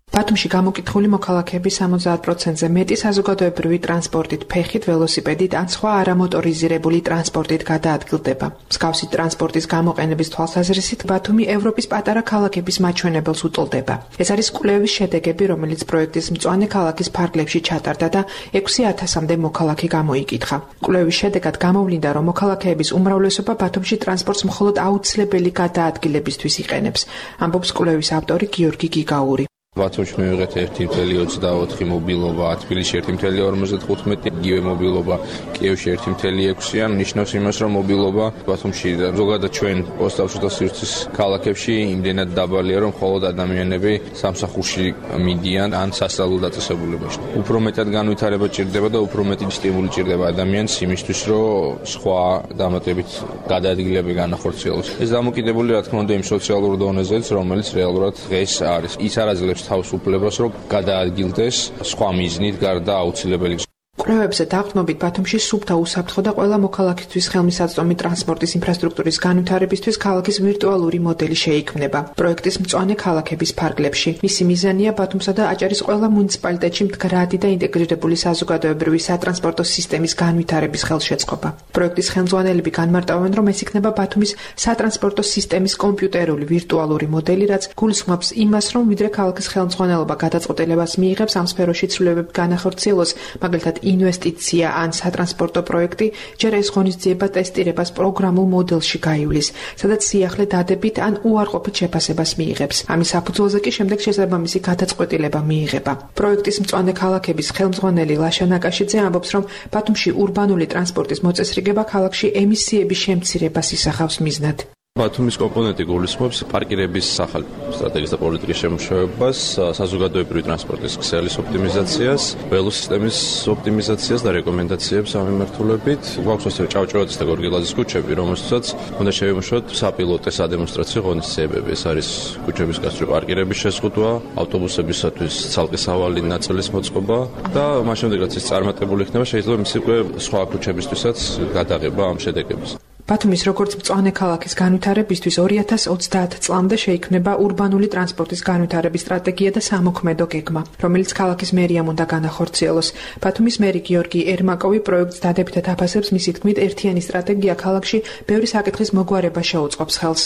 ბათუმში გამოკითხული მოქალაქეების სამოცდაათ პროცენტზე მეტი საზოგადოებრივი ტრანსპორტით, ფეხით, ველოსიპედით ან სხვა არამოტორიზირებული ტრანსპორტით გადაადგილდება. მსგავსი ტრანსპორტის გამოყენების თვალსაზრისით ბათუმი ევროპის პატარა ქალაქების მაჩვენებელს უტოლდება. ეს არის კვლევის შედეგები, რომელიც პროექტის მწვანე ქალაქის ფარგლებში ჩატარდა და ექვსი ათასამდე მოქალაქე გამოიკითხა. კვლევის შედეგად გამოვლინდა, რომ მოქალაქეების უმრავლესობა ბათუმში ტრანსპორტს მხოლოდ აუცილებელი გადაადგილებისთვის იყენებს, ამბობს კვლევის ავტორი გიორგი გიგაური. ბათუმში მივიღეთ ერთი წელი ოცდაოთხი მობილობა, თბილისში ერთი წელი ორმოცდახუთმეტი, იგივე მობილობა, კიევში ერთი წელი ექვსი-ან ნიშნავს იმას, რომ მობილობა ბათუმში ზოგადად ჩვენ ოსტავშთა სივრცის ქალაქებში იმდენად დაბალია, რომ მხოლოდ ადამიანები სამსახურში მიდიან ან სასწავლო დაწესებულებაში. უფრო მეტად განვითარება ჭირდება და უფრო მეტი სტიმული ჭირდება ადამიანს იმისთვის, რომ სხვა დამატებით გადაადგილება განახორციელოს. ეს დამოკიდებული რა თქმა უნდა იმ სოციალურ დონეზეც, რომელიც რეალურად დღეს არის. ის არაძლევს თავს უფლებას, რომ გადაადგილდეს სხვა მიზნით გარდა აუცილებელი. კვლევებზე დაყრდნობით ბათუმში სუფთა უსაფრთხო და ყველა მოქალაქისთვის ხელმისაწვდომი ტრანსპორტის ინფრასტრუქტურის განვითარებისთვის ქალაქის ვირტუალური მოდელი შეიქმნება. პროექტის მწვანე ქალაქების ფარგლებში. მისი მიზანია ბათუმსა და აჭარის ყველა მუნიციპალიტეტში მდგრადი და ინტეგრირებული საზოგადოებრივი სატრანსპორტო სისტემის განვითარების ხელშეწყობა. პროექტის ხელმძღვანელები განმარტავენ, რომ ეს იქნება ბათუმის სატრანსპორტო სისტემის კომპიუტერული ვირტუალური მოდელი, რაც გულისხმობს იმას, რომ ვიდრე ქალაქის ხელმძღვანელობა გადაწყვეტილებას მიიღებს ამ სფეროში ცვლილებები განახორციელოს, მაგალითად ინვესტიცია ან სატრანსპორტო პროექტი, ჯერ ეს ღონისძიება ტესტირებას პროგრამულ მოდელში გაივლის, სადაც სიახლე დადებით ან უარყოფით შეფასებას მიიღებს. ამის საფუძველზე კი შემდეგ შესაბამისი გადაწყვეტილება მიიღება. პროექტის მწვანე ქალაქების ხელმძღვანელი ლაშა ნაკაშიძე ამბობს, რომ ბათუმში ურბანული ტრანსპორტის მოწესრიგება ქალაქში ემისიების შემცირებას ისახავს მიზნად. ბათუმის კომპონენტი გულისხმობს პარკირების ახალი სტრატეგიის და პოლიტიკის შემუშავებას, საზოგადოებრივი ტრანსპორტის ქსელის ოპტიმიზაციას, ველოსისტემის ოპტიმიზაციას და რეკომენდაციებს ამ მიმართულებით. გვაქვს ასევე ჭავჭავაძის და გორგილაძის ქუჩები, რომელთაც უნდა შევიმუშაოთ საპილოტო სადემონსტრაციო ღონისძიებები. ეს არის ქუჩების გასწვრივ პარკირების შეზღუდვა, ავტობუსებისათვის ცალკე სავალი ნაწილის მოწყობა და მას შემდეგაც ის წარმატებული იქნება, შეიძლება მისი უკვე სხვა ქუჩებისთვისაც გადაღება ამ შედეგების. ბათუმის როგორც მწვანე ქალაქის განვითარებისთვის ორი ათას ოცდაათ წლამდე შეიქმნება ურბანული ტრანსპორტის განვითარების სტრატეგია და სამოქმედო გეგმა, რომელიც ქალაქის მერიამ უნდა განახორციელოს. ბათუმის მერი გიორგი ერმაკოვი პროექტს დადებითად აფასებს, მისი თქმით, ერთიანი სტრატეგია ქალაქში ბევრი საკითხის მოგვარება შეუწყობს ხელს.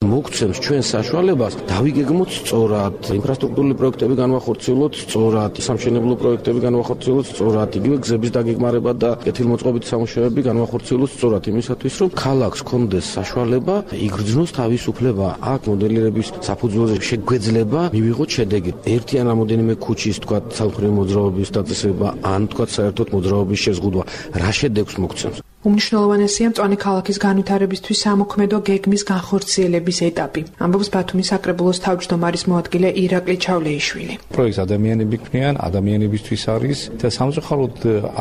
მოგცემს ჩვენ საშუალებას დავიგეგმოთ სწორად, ინფრასტრუქტურული პროექტები განვახორციელოთ სწორად, სამშენებლო პროექტები განვახორციელოთ სწორად, იგივე გზების დაგეგმარება და კეთილმოწყობითი სამუშაოები განვახორციელოთ სწორად, იმისათვის რომ ქალაქს ჰქონდეს საშუალება იგრძნოს თავისუფლება, აქ მოდელირების საფუძველზე შეგვეძლება მივიღოთ შედეგი. ერთი ან რამოდენიმე ქუჩის, თქვა, სამხედრო მოძრაობის დაწესება, ან თქვა საერთოდ მოძრაობის შეზღუდვა, რა შედეგს მოგცემს. უმნიშვნელოვანესია მწვანე ქალაქის განვითარებისთვის სამოქმედო გეგმის განხორციელების ეტაპი. ამბობს ბათუმის საკრებულოს თავმჯდომარის მოადგილე ირაკლი ჩავლეიშვილი. პროექტს ადამიანები ქმნიან, ადამიანებისთვის არის და სამწუხაროდ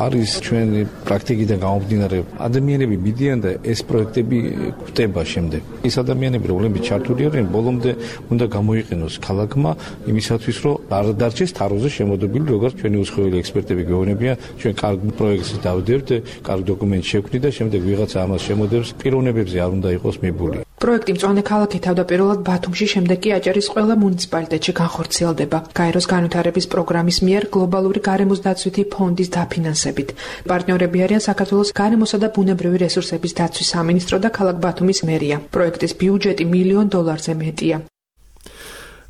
არის ჩვენი პრაქტიკიდან გამომდინარე ადამიანები მიდიან და ეს პროექტები გვხვდება შემდეგ. ის ადამიანები, რომლებიც ჩართული არიან, ბოლომდე უნდა გამოიყენოს ქალაქმა იმისათვის, რომ არ დარჩეს თაროზე შემოდებული, როგორც ჩვენი უცხოელი ექსპერტები გვეუბნებიან, ჩვენ კარგ პროექტს დავდებთ, კარგ დოკუმენტს შევქმნით და შემდეგ ვიღაცა ამას შემოდევს, პიროვნებებზე არ უნდა იყოს მიბული. პროექტი მწვანე ქალაქი თავდაპირველად ბათუმში, შემდეგ კი აჭარის ყველა მუნიციპალიტეტში განხორციელდება. გაეროს განვითარების პროგრამის მიერ გლობალური გარემოს დაცვითი ფონდის დაფინანსებით. პარტნიორები არიან საქართველოს გარემოსა და ბუნებრივი რესურსების დაცვის სამინისტრო და ქალაქ ბათუმის მერია. პროექტის ბიუჯეტი მილიონ დოლარზე მეტია.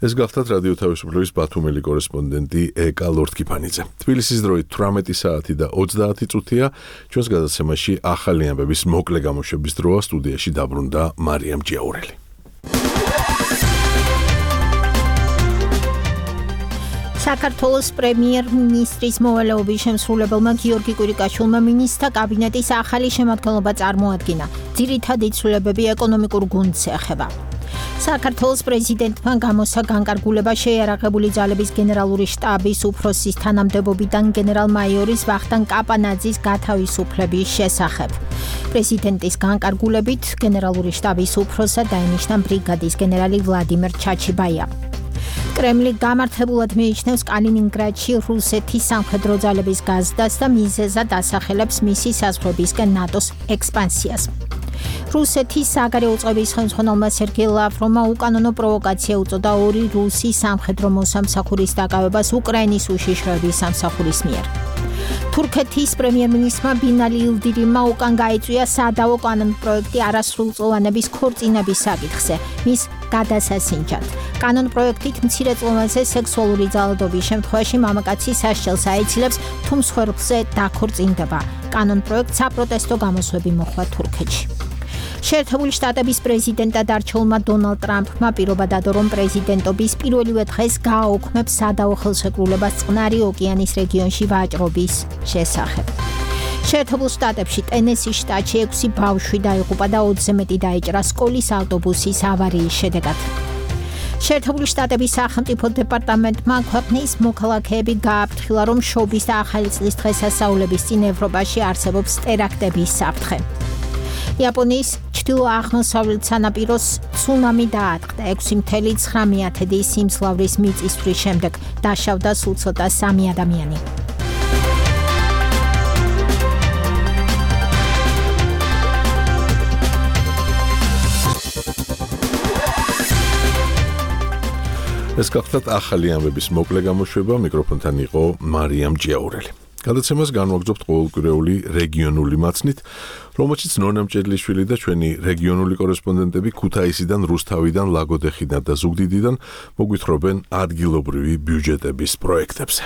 ეს გახლავთ რადიო თავისუფლების ბათუმელი კორესპონდენტი ეკა ლორთქიფანიძე. თბილისის დროით თვრამეტი საათი და ოცდაათი წუთია. ჩვენს გადაცემაში ახალი ამბების მოკლე გამოშვების დროა. სტუდიაში დაბრუნდა მარიამ ჯიაურელი. საქართველოს პრემიერ-მინისტრის მოვალეობის შემსრულებელმა გიორგი კვირიკაშვილმა მინისტრთა კაბინეტის ახალი შემადგენლობა წარმოადგინა. ძირითადი ცვლილებები ეკონომიკურ გუნდს ეხება. საქართველოს პრეზიდენტმა გამოსცა განკარგულება შეიარაღებული ძალების გენერალური შტაბის უფროსის თანამდებობიდან გენერალ-მაიორის ვახტანგ კაპანაძის გათავისუფლების შესახებ. პრეზიდენტის განკარგულებით გენერალური შტაბის უფროსად დაინიშნა ბრიგადის გენერალი ვლადიმერ ჩაჩიბაია. კრემლი გამართებულად მიიჩნევს კალინინგრადში რუსეთის სამხედრო ძალების გაზრდას და მიზეზად ასახელებს მისი საზღვრებისკენ ნატოს ექსპანსიას. რუსეთის საგარეო წყობის ხელმძღვანელმა სერგეი ლავროვმა უკანონო პროვოკაცია უწოდა ორი რუსი სამხედრო მოსამსახურის დაკავებას უკრაინის უშიშროების სამსახურის მიერ. თურქეთის პრემიერ-მინისტრმა ბინალი ილდირიმმა უკან გაიწვია სადავო კანონპროექტი არასრულწლოვანების ქორწინების საკითხზე, მის გადასასინჯად. კანონპროექტით მცირეწლოვანზე სექსუალური ძალადობის შემთხვევაში მამაკაცი სასჯელს აიცილებს, თუ მსხვერპლზე დაქორწინდება. კანონპროექტს საპროტესტო გამოსვლები მოჰყვა თურქეთში. შეერთებული შტატების პრეზიდენტად არჩეულმა დონალდ ტრამპმა პირობა დადო, რომ პრეზიდენტობის პირველივე დღეს გააუქმებს სადავო ხელშეკრულებას წყნარი ოკეანის რეგიონში ვაჭრობის შესახებ. შეერთებულ შტატებში ტენესის შტატში ექვსი ბავშვი დაიღუპა და ოცზე მეტი დაიჭრა სკოლის ავტობუსის ავარიის შედეგად. შეერთებული შტატების სახელმწიფო დეპარტამენტმა ქვეყნის მოქალაქეები გააფრთხილა, რომ შობის და ახალი წლის დღესასწაულების წინ ევროპაში არსებობს ტერაქტების საფრთხე. იაპონიის ჩრდილო-აღმოსავლეთ სანაპიროს ცუნამი დაატყდა ექვსი მთელი ცხრა მეათედი სიმძლავრის მიწისძვრის შემდეგ. დაშავდა სულ ცოტა სამი ადამიანი. ეს გახლავთ ახალი ამბების მოკლე გამოშვება. მიკროფონთან იყო მარიამ ჯიაურელი. გადაცემას განვაგრძობთ ყოველკვირეული რეგიონული მაცნით, რომელშიც ნონა მჭედლიშვილი და ჩვენი რეგიონული კორესპონდენტები ქუთაისიდან, რუსთავიდან, ლაგოდეხიდან და ზუგდიდიდან მოგვითხრობენ ადგილობრივი ბიუჯეტების პროექტებზე.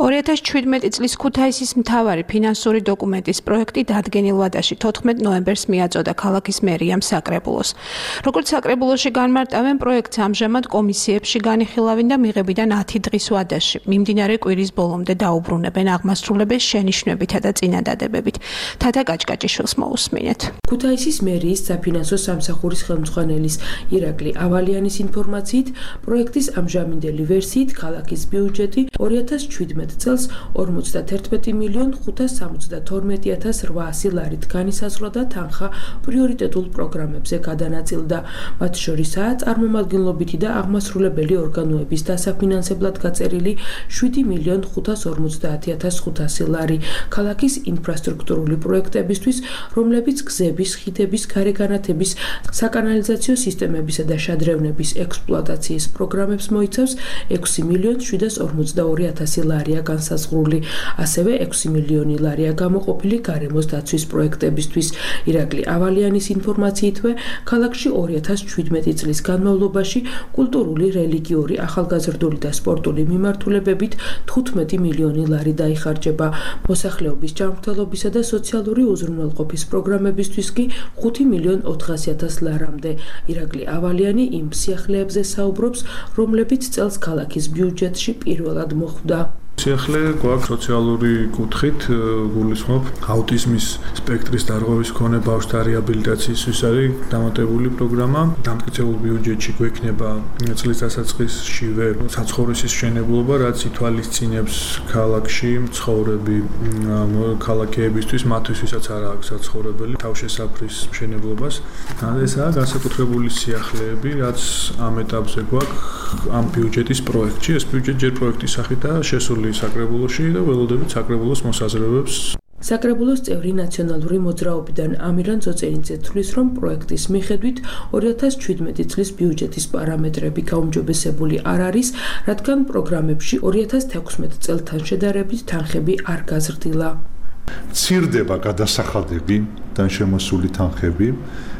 ორი ათას ჩვიდმეტი წლის ქუთაისის მთავარი ფინანსური დოკუმენტის პროექტი დადგენილ ვადაში თოთხმეტ ნოემბერს მიაწოდა ქალაქის მერიამ საკრებულოს. როგორც საკრებულოში განმარტავენ, პროექტს ამჟამად კომისიებში განიხილავენ და მიღებიდან ათი დღის ვადაში. მიმდინარე კვირის ბოლომდე დაუბრუნებენ აღმასრულებელს შენიშვნებითა და წინადადებებით. თათა კაჭკაჭიშვილს მოусმინეთ. ქუთაისის მერიის საფინანსო სამსახურის ხელმძღვანელის ირაკლი ავალიანის ინფორმაციით, პროექტის ამჟამინდელი ვერსიით ქალაქის ბიუჯეტი ორი ათას ჩვიდმეტ წელს ორმოცდაერთმეტი მილიონ ხუთას სამოცდათორმეტი ათას რვაასი ლარით განისაზღვრა და თანხა პრიორიტეტულ პროგრამებზე გადანაწილდა. მათ შორისაა წარმომადგენლობითი და აღმასრულებელი ორგანოების დასაფინანსებლად გაწერილი შვიდი მილიონ ხუთას ორმოცდაათი ათას ხუთასი ლარი ქალაქის ინფრასტრუქტურული პროექტებისთვის, რომლებიც გზების, ხიდების, გარეგანათების, საკანალიზაციო სისტემებისა და შადრევნების ექსპლუატაციის პროგრამებს მოიცავს ექვსი მილიონ შვიდას ორმოცდაორი ათასი ლარი. განსაზღვრული, ასევე ექვსი მილიონი ლარია გამოყოფილი გარემოს დაცვის პროექტებისთვის. ირაკლი ავალიანის ინფორმაციითვე, ქალაქში ორი ათას ჩვიდმეტი წლის განმავლობაში კულტურული, რელიგიური, ახალგაზრდული და სპორტული მიმართულებებით თხუთმეტი მილიონი ლარი დაიხარჯება. მოსახლეობის ჯანმრთელობისა და სოციალური უზრუნველყოფის პროგრამებისთვის კი ხუთი მილიონ ოთხასი ათას ლარამდე. ირაკლი ავალიანი იმ სიახლეებზე საუბრობს, რომლებიც წელს ქალაქის ბიუჯეტში პირველად მოხვდა. სიახლე გვაქვს სოციალური კუთხით, გულისხმობ აუტიზმის სპექტრის დარღვევის მქონე ბავშვთა რეაბილიტაციისთვის არის დამატებული პროგრამა. დამტკიცებულ ბიუჯეტში გვექნება წლის დასაწყისშივე საცხოვრისის მშენებლობა, რაც ითვალისწინებს ქალაქში მცხოვრები ქალაქეებისთვის, მათთვის, ვისაც არ აქვს საცხოვრებელი, თავშესაფრის მშენებლობას. ესაა განსაკუთრებული სიახლეები, რაც ამ ეტაპზე გვაქვს ამ ბიუჯეტის პროექტში. ეს ბიუჯეტი ჯერ პროექტის სახითაა შესული საკრებულოში და ველოდებით საკრებულოს მოსაზრებებს. საკრებულოს წევრი ნაციონალური მოძრაობიდან ამირან ძოწენიძე თვლის, რომ პროექტის მიხედვით ორი ათას ჩვიდმეტი წლის ბიუჯეტის პარამეტრები გაუმჯობესებული არ არის, რადგან პროგრამებში ორი ათას თექვსმეტ წელთან შედარებით თანხები არ გაზრდილა. მცირდება გადასახადები და შემოსული თანხები.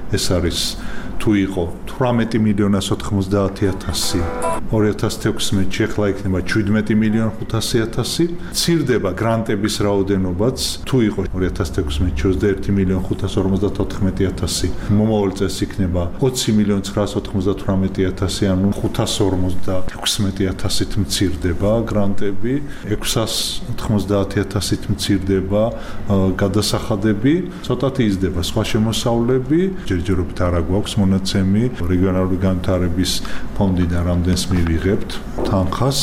ეს არის თუ იყო თვრამეტი მილიონი ოცდაათი ათასი ორი ათას თექვსმეტში, ახლა იქნება შვიდმეტი მილიონი ხუთასი ათასი. მცირდება გრანტების რაოდენობაც, თუ იყო ორი ათას თექვსმეტში ოცდაერთი მილიონი ხუთასი ორმოცდათოთხმეტი ათასი, მომავალ წელს იქნება ოცი მილიონი ცხრაას ოთხმოცდათვრამეტი ათასი, ანუ ხუთას ორმოცდათექვსმეტი ათასით მცირდება გრანტები, ექვსას ოთხმოცდაათი ათასით მცირდება გადასახადები, ცოტათი იზრდება სხვა შემოსავლები. ჯერჯერობით არა გვაქვს მონაცემი რეგიონალური განვითარების ფონდიდან რამდენს მივიღებთ თანხას.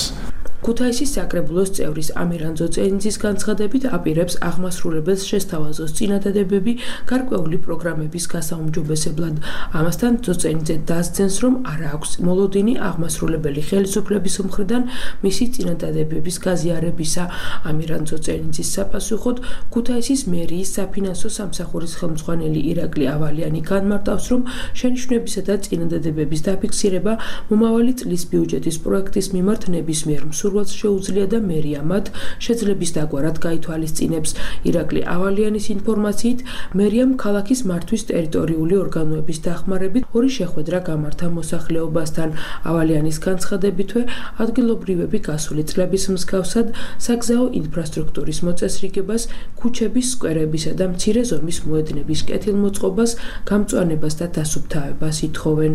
ქუთაისის საკრებულოს წევრის ამირან ძოწენიძის განცხადებით აპირებს აღმასრულებელს შესთავაზოს წინადადებები გარკვეული პროგრამების გასაუმჯობესებლად. ამასთან ძოწენიძე დასძენს, რომ არ აქვს მოლოდინი აღმასრულებელი ხელისუფლების მხრიდან მისი წინადადებების გაზიარებისა. ამირან ძოწენიძის საპასუხოდ ქუთაისის მერიის საფინანსო სამსახურის ხელმძღვანელი ირაკლი ავალიანი განმარტავს, რომ შენიშვნებისა და წინადადებების დაფიქსირება მომავალი წლის ბიუჯეტის პროექტის მიმართ ნებისმიერ მსურველს შეუძლია და მერია მათ შეძლების დაგვარად გაითვალისწინებს. ირაკლი ავალიანის ინფორმაციით, მერიამ ქალაქის მართვის ტერიტორიული ორგანოების დახმარებით ორი შეხვედრა გამართა მოსახლეობასთან. ავალიანის განცხადებითვე, ადგილობრივები გასული წლების მსგავსად საგზაო ინფრასტრუქტურის მოწესრიგებას, ქუჩების, სკვერებისა და მცირე ზომის მოედნების კეთილმოწყობას, გამწვანებას და დასუფთავებას ითხოვენ.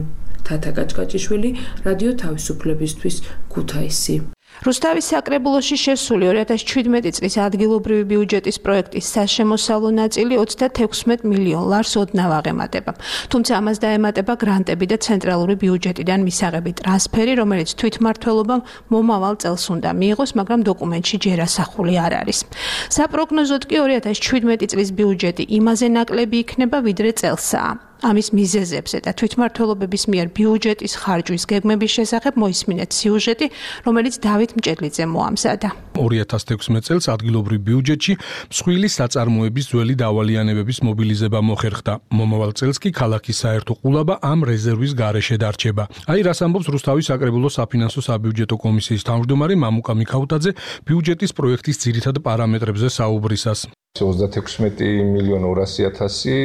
თათა კაჭკაჭიშვილი, რადიო თავისუფლებისთვის, ქუთაისი. რუსთავის საკრებულოში შესული ორი ათას შვიდმეტი წლის ადგილობრივი ბიუჯეტის პროექტის საშემოსავლო ნაწილი ოცდათექვსმეტ მილიონ ლარს ოდნავ აღემატება. თუმცა ამას დაემატება გრანტები და ცენტრალური ბიუჯეტიდან მისაღები ტრანსფერი, რომელიც თვითმმართველობამ მომავალ წელს უნდა მიიღოს, მაგრამ დოკუმენტში ჯერ ასახული არ არის. საპროგნოზოდ კი ორი ათას შვიდმეტი წლის ბიუჯეტი იმაზე ნაკლები იქნება, ვიდრე წელსაა. ამის მიზეზებზე და თვითმმართველობების მიერ ბიუჯეტის ხარჯვის გეგმების შესახებ მოისმინეთ სიუჟეტი, რომელიც დავით მჭედლიძე მოამზადა. ორი ათას თექვსმეტ წელს ადგილობრივ ბიუჯეტში მსხვილი საწარმოების ძველი დავალიანებების მობილიზება მოხერხდა. მომავალ წელს კი ქალაქის საერთო ყულაბა ამ რეზერვის გარეშე დარჩება. აი რას ამბობს რუსთავის საკრებულოს საფინანსო საბიუჯეტო კომისიის თავმჯდომარე მამუკა მიქაუტაძე ბიუჯეტის პროექტის ძირითად პარამეტრებზე საუბრისას. ოცდათექვსმეტი მილიონი ორასი ათასი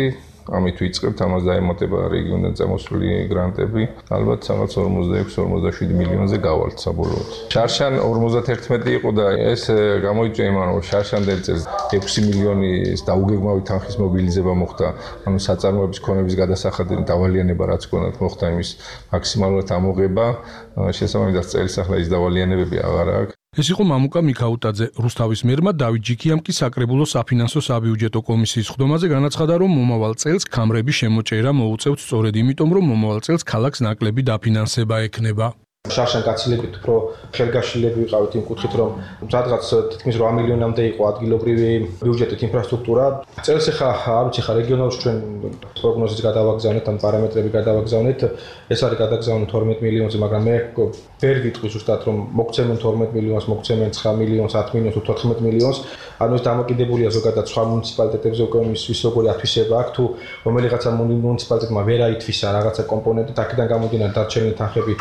ამით ვიწყებთ, ამას დაემატება რეგიონიდან წამოსული გრანტები, ალბათ სამაც ორმოცდაექვსი ორმოცდაშვიდი მილიონზე გავალთ საბოლოოდ. შარშან ორმოცდაერთმეტი იყო და ეს გამოიწვია იმან, რომ შარშანდელ წელს ექვსი მილიონის დაუგეგმავი თანხის მობილიზება მოხდა, ანუ საწარმოების ქონების გადასახადები დავალიანება რაც ქონათ მოხდა იმის მაქსიმალურად ამოღება, შესაბამისად წელს ახლა ის დავალიანებები აღარ აქვს. ეს იყო მამუკა მიქაუტაძე. რუსთავის მერმა დავით ჯიქიამ კი საკრებულოს საფინანსო საბიუჯეტო კომისიის ხდომაზე განაცხადა, რომ მომავალ წელს ქამრების შემოჭერა მოუწევთ სწორედ იმიტომ, რომ მომავალ წელს ქალაქს ნაკლები დაფინანსება ექნება. შარშან გაცილებით უფრო ხელგაშლილები ვიყავით იმ კუთხით, რომ სადღაც თითქმის რვა მილიონამდე იყო ადგილობრივი ბიუჯეტით ინფრასტრუქტურა. წელს ახლა არ ვიცი, ხა რეგიონალში ჩვენ პროგნოზის გადავაგზავნეთ, ან პარამეტრები გადავაგზავნეთ, ეს არის გადაგზავნილი თორმეტ მილიონზე, მაგრამ მე ვერ ვიტყვი ზუსტად, რომ მოგცემენ თორმეტ მილიონს, მოგცემენ ცხრა მილიონს, ათ მილიონს, თოთხმეტ მილიონს, ანუ ეს დამოკიდებულია ზოგადად სხვა მუნიციპალიტეტებზე, უკვე ის როგორი ათვისება აქვს, თუ რომელიღაცა მუნიციპალიტეტმა ვერ აითვისა რაღაცა კომპონენტი, აქედან გამომდინარე დარჩენილი თანხები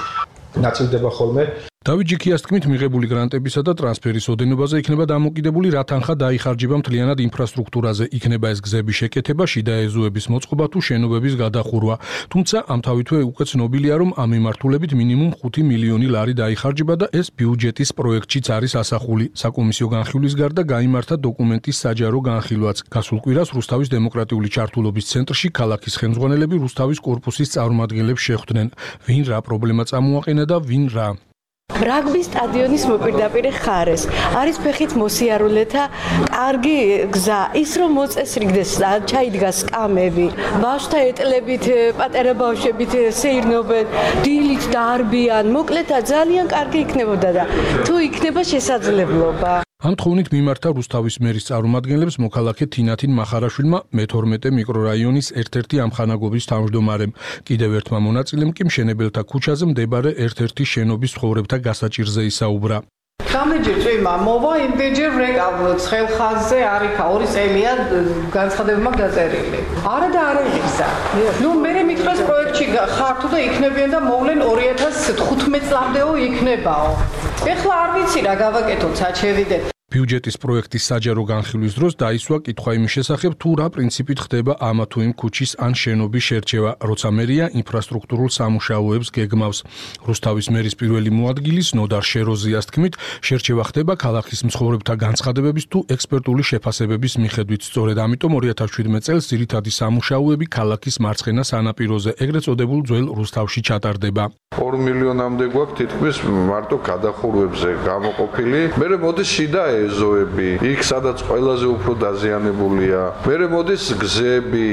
ნაწილდება ხოლმე. დავით ჯიქიას თქმით, მიღებული გრანტებისა და ტრანსფერის ოდენობაზე იქნება დამოკიდებული, რა თანხა დაიხარჯება მთლიანად ინფრასტრუქტურაზე, იქნება ეს გზების შეკეთება, შიდა ეზოების მოწყობა თუ შენობების გადახურვა. თუმცა ამთავითვე უკვე ცნობილია, რომ ამ მიმართულებით მინიმუმ ხუთი მილიონი ლარი დაიხარჯება და ეს ბიუჯეტის პროექტშიც არის ასახული. საკომისიო განხილვის გარდა გაიმართა დოკუმენტის საჯარო განხილვაც. გასულ კვირას რუსთავის დემოკრატიული ჩართულობის ცენტრში ქალაქის ხელმძღვანელები რუსთავის კორპუსის წარმომადგენლებს შეხვდნენ. ვინ რა პრობლემა წამოაყენა და ვინ რა რაგბის სტადიონის მოპირდაპირე ხარეს არის ფეხით მოსიარულეთა კარგი გზა, ის რომ მოწესრიგდეს, ჩაიდგა სკამები, ბავშვთა ეტლებით, პატარა ბავშვებით სეირნობენ, დილით დაარბიან, მოკლედ ძალიან კარგი იქნებოდა და თუ იქნება შესაძლებლობა. ამ თხოვნით მიმართა რუსთავის მერის წარმომადგენლებს მოქალაქე თინათინ მახარაშვილმა მეთორმეტე მიკრორაიონის ერთ-ერთი ამხანაგობის თავმჯდომარემ. კიდევ ერთმა მონაწილემ კი მშენებელთა ქუჩაზე მდებარე ერთ-ერთი შენობის ცხოვრებთა გასაჭირზე ისაუბრა. რამდენჯერ წვიმა მოვა, იმდენჯერ ვრეკავ ცხელ ხაზზე არიქა ორი წელია განცხადებმა გაწერილი. არა და არა იღისა. ნუ მე მითხრას პროექტში ხართო და იქნებიან და მოვლენ ორი ათას თხუთმეტ წლამდეო იქნებაო. ეხლა არ ვიცი რა გავაკეთოთ, საჩევიდე. ბიუჯეტის პროექტის საჯარო განხილვის დროს დაისვა კითხვა იმის შესახებ, თუ რა პრინციპით ხდება ამა თუ იმ ქუჩის ან შენობის შერჩევა, როცა მერია ინფრასტრუქტურულ სამუშაოებს გეგმავს. რუსთავის მერის პირველი მოადგილის ნოდარ შეროზიას თქმით, შერჩევა ხდება ქალაქის მცხოვრებთა განცხადებების თუ ექსპერტული შეფასებების მიხედვით. სწორედ ამიტომ ორი ათას შვიდმეტ წელს ძირითადი სამუშაოები ქალაქის მარცხენა სანაპიროზე, ეგრეთ წოდებულ ძველ რუსთავში ჩატარდება. ორი მილიონამდე გვაქვს თითქმის მარტო გადახურვებზე გამოყოფილი. მერე მოდის შიდა ეზოები, იქ სადაც ყველაზე უფრო დაზიანებულია. მერე მოდის გზები,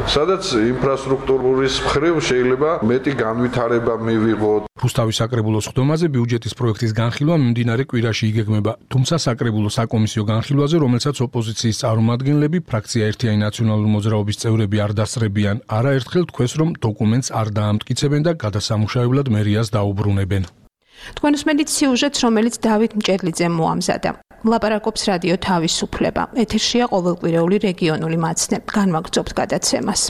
სადაც ინფრასტრუქტურის მხრივ შეიძლება მეტი განვითარება მივიღოთ. რუსთავის საკრებულოს ხდომაზე ბიუჯეტის პროექტის განხილვა მიმდინარე კვირაში იგეგმება. თუმცა საკრებულო საკომისიო განხილვაზე, რომელსაც ოპოზიციის წარმომადგენლები, ფრაქცია ერთიანი ნაციონალური მოძრაობის წევრები არ დასწრებიან, არაერთხელ თქვეს, რომ დოკუმენტს არ დაამტკიცებენ და გადასამუშავებლად მერიას დაუბრუნებენ. თქვენ უსმენთ სიუჟეტს, რომელიც დავით მჭედლიძემ მოამზადა. ლაპარაკობს რადიო თავისუფლება. ეთერშია ყოველკვირეული რეგიონული მაცნე. განვაგრძობთ გადაცემას.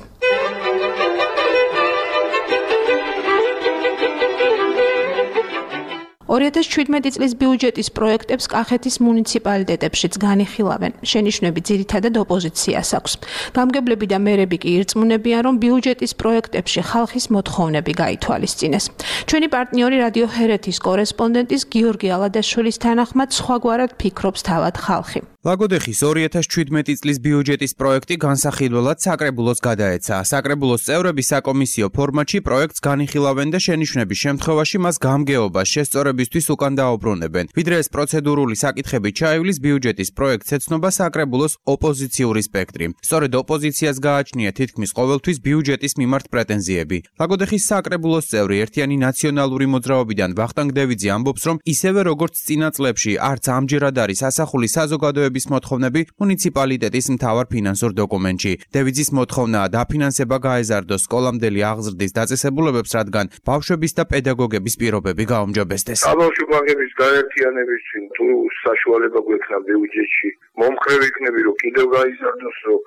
ორი ათას შვიდმეტი წლის ბიუჯეტის პროექტებს კახეთის მუნიციპალიტეტებშიც განიხილავენ. შენიშვნები ძირითადად ოპოზიციას აქვს. გამგებლები და მერები კი ირწმუნებიან, რომ ბიუჯეტის პროექტებში ხალხის მოთხოვნები გაითვალისწინეს. ჩვენი პარტნიორი რადიო ჰერეთის კორესპონდენტის გიორგი ალადაშვილის თანახმად სხვაგვარად ფიქრობს თავად ხალხი. ლაგოდეხის ორი ათას შვიდმეტი წლის ბიუჯეტის პროექტი განსახილველად საკრებულოს გადაეცა. საკრებულოს წევრები საკომისიო ფორმატში პროექტს განიხილავენ და შენიშვნების შემთხვევაში მას გამგეობას შესწორებისთვის უკან დაუბრუნებენ. ვიდრე ეს პროცედურული საკითხები ჩაივლის, ბიუჯეტის პროექტს ეცნობა საკრებულოს ოპოზიციური სპექტრი. სწორედ ოპოზიციას გააჩნია თითქმის ყოველთვის ბიუჯეტის მიმართ პრეტენზიები. ლაგოდეხის საკრებულოს წევრი ერთიანი ნაციონალური მოძრაობიდან ვახტანგ დევიძე ამბობს, რომ ისევე როგორც წინა წლებში არც ამჯერად არის ასახული საზოგადოების მოთხოვნები მუნიციპალიტეტის მთავარ ფინანსურ დოკუმენტში. დევიძის მოთხოვნაა დაფინანსება გაეზარდოს სკოლამდელი აღზრდის დაწესებულებებს, რადგან ბავშვების და პედაგოგების პირობები გაუმჯობესდეს. საბავშვოების გაერთიანებისთვის თუ საშუალება გვექნა ბიუჯეტში მომხრე ვიქნები, რომ კიდევ გაიზარდოს, რომ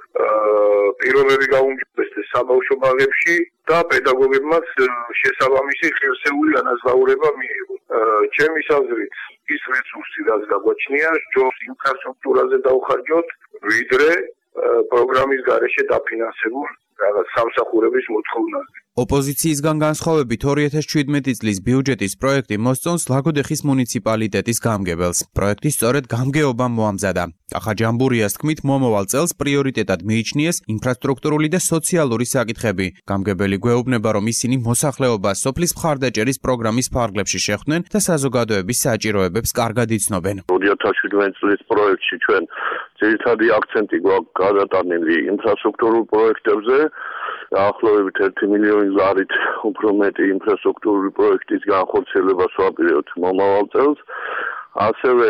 პირობები გაუმჯობესდეს საბავშვო ბაღებში და პედაგოგებმაც შესაბამისი ღირსეული განაზღაურება მიიღოს. ჩემი აზრით ის რესურსი, რაც გაგვაჩნია, ჯობს ინფრასტრუქტურაზე დავხარჯოთ, ვიდრე პროგრამის გარეშე დაფინანსებულ რაღაც სამსახურების მოთხოვნაზე. ოპოზიციისგან განსხვავებით ორი ათას შვიდმეტი წლის ბიუჯეტის პროექტი მოსწონს ლაგოდეხის მუნიციპალიტეტის გამგებელს. პროექტი სწორედ გამგეობამ მოამზადა. კახა ჯამბურიას თქმით, მომავალ წელს პრიორიტეტად მიიჩნიეს ინფრასტრუქტურული და სოციალური საკითხები. გამგებელი გვეუბნება, რომ ისინი მოსახლეობას სოფლის მხარდაჭერის პროგრამის ფარგლებში შეხვდნენ და საზოგადოების საჭიროებებს კარგად იცნობენ. ორი ათას შვიდმეტი წლის პროექტში ჩვენ ძირითადი აქცენტი გვაქვს გადატანილი ინფრასტრუქტურულ პროექტებზე. დაახლოებით ერთი მილიონი ლარით უფრო მეტი ინფრასტრუქტურული პროექტის განხორციელებას ვაპირებთ მომავალ წელს. ასევე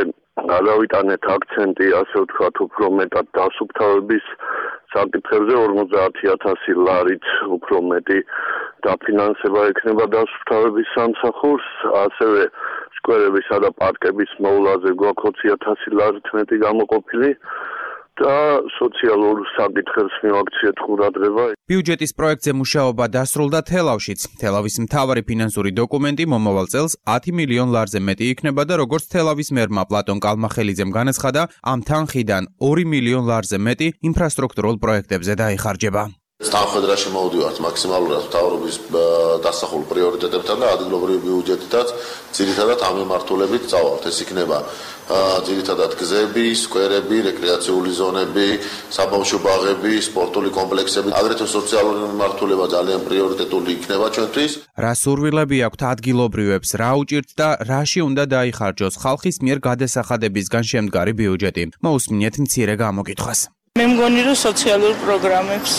გადავიტანეთ აქცენტი, ასე ვთქვათ, უფრო მეტად დასუფთავების საკითხებზე ორმოცდაათი ათასი ლარით უფრო მეტი დაფინანსება ექნება დასუფთავების სამსახურს, ასევე სკვერებისა და პარკების მოვლაზე გვაქვს ოცი ათასი ლარით მეტი გამოყოფილი. და სოციალურ საკითხებს მივაქციეთ ყურადღება. ბიუჯეტის პროექტზე მუშაობა დასრულდა თელავშიც. თელავის მთავარი ფინანსური დოკუმენტი მომავალ წელს ათი მილიონ ლარზე მეტი იქნება და როგორც თელავის მერმა პლატონ კალმახელიძემ განაცხადა, ამ თანხიდან ორი მილიონ ლარზე მეტი ინფრასტრუქტურულ პროექტებზე დაიხარჯება. თანხმედრაში მოვდივართ მაქსიმალურად მთავრობის დასახულ პრიორიტეტებთან და ადგილობრივი ბიუჯეტითაც ძირითადად ამ მიმართულებით წავალთ. ეს იქნება ძირითადად გზები, სკვერები, რეკრეაციული ზონები, საბავშვო ბაღები, სპორტული კომპლექსები, აგრეთვე სოციალური მიმართულება ძალიან პრიორიტეტული იქნება ჩვენთვის. რა სურვილები აქვთ ადგილობრივებს, რა უჭირთ და რაში უნდა დაიხარჯოს ხალხის მიერ გადასახადებისგან შემდგარი ბიუჯეტი. მოусმინეთ მცირე გამოკითხვას. მე მგონი რომ სოციალურ პროგრამებს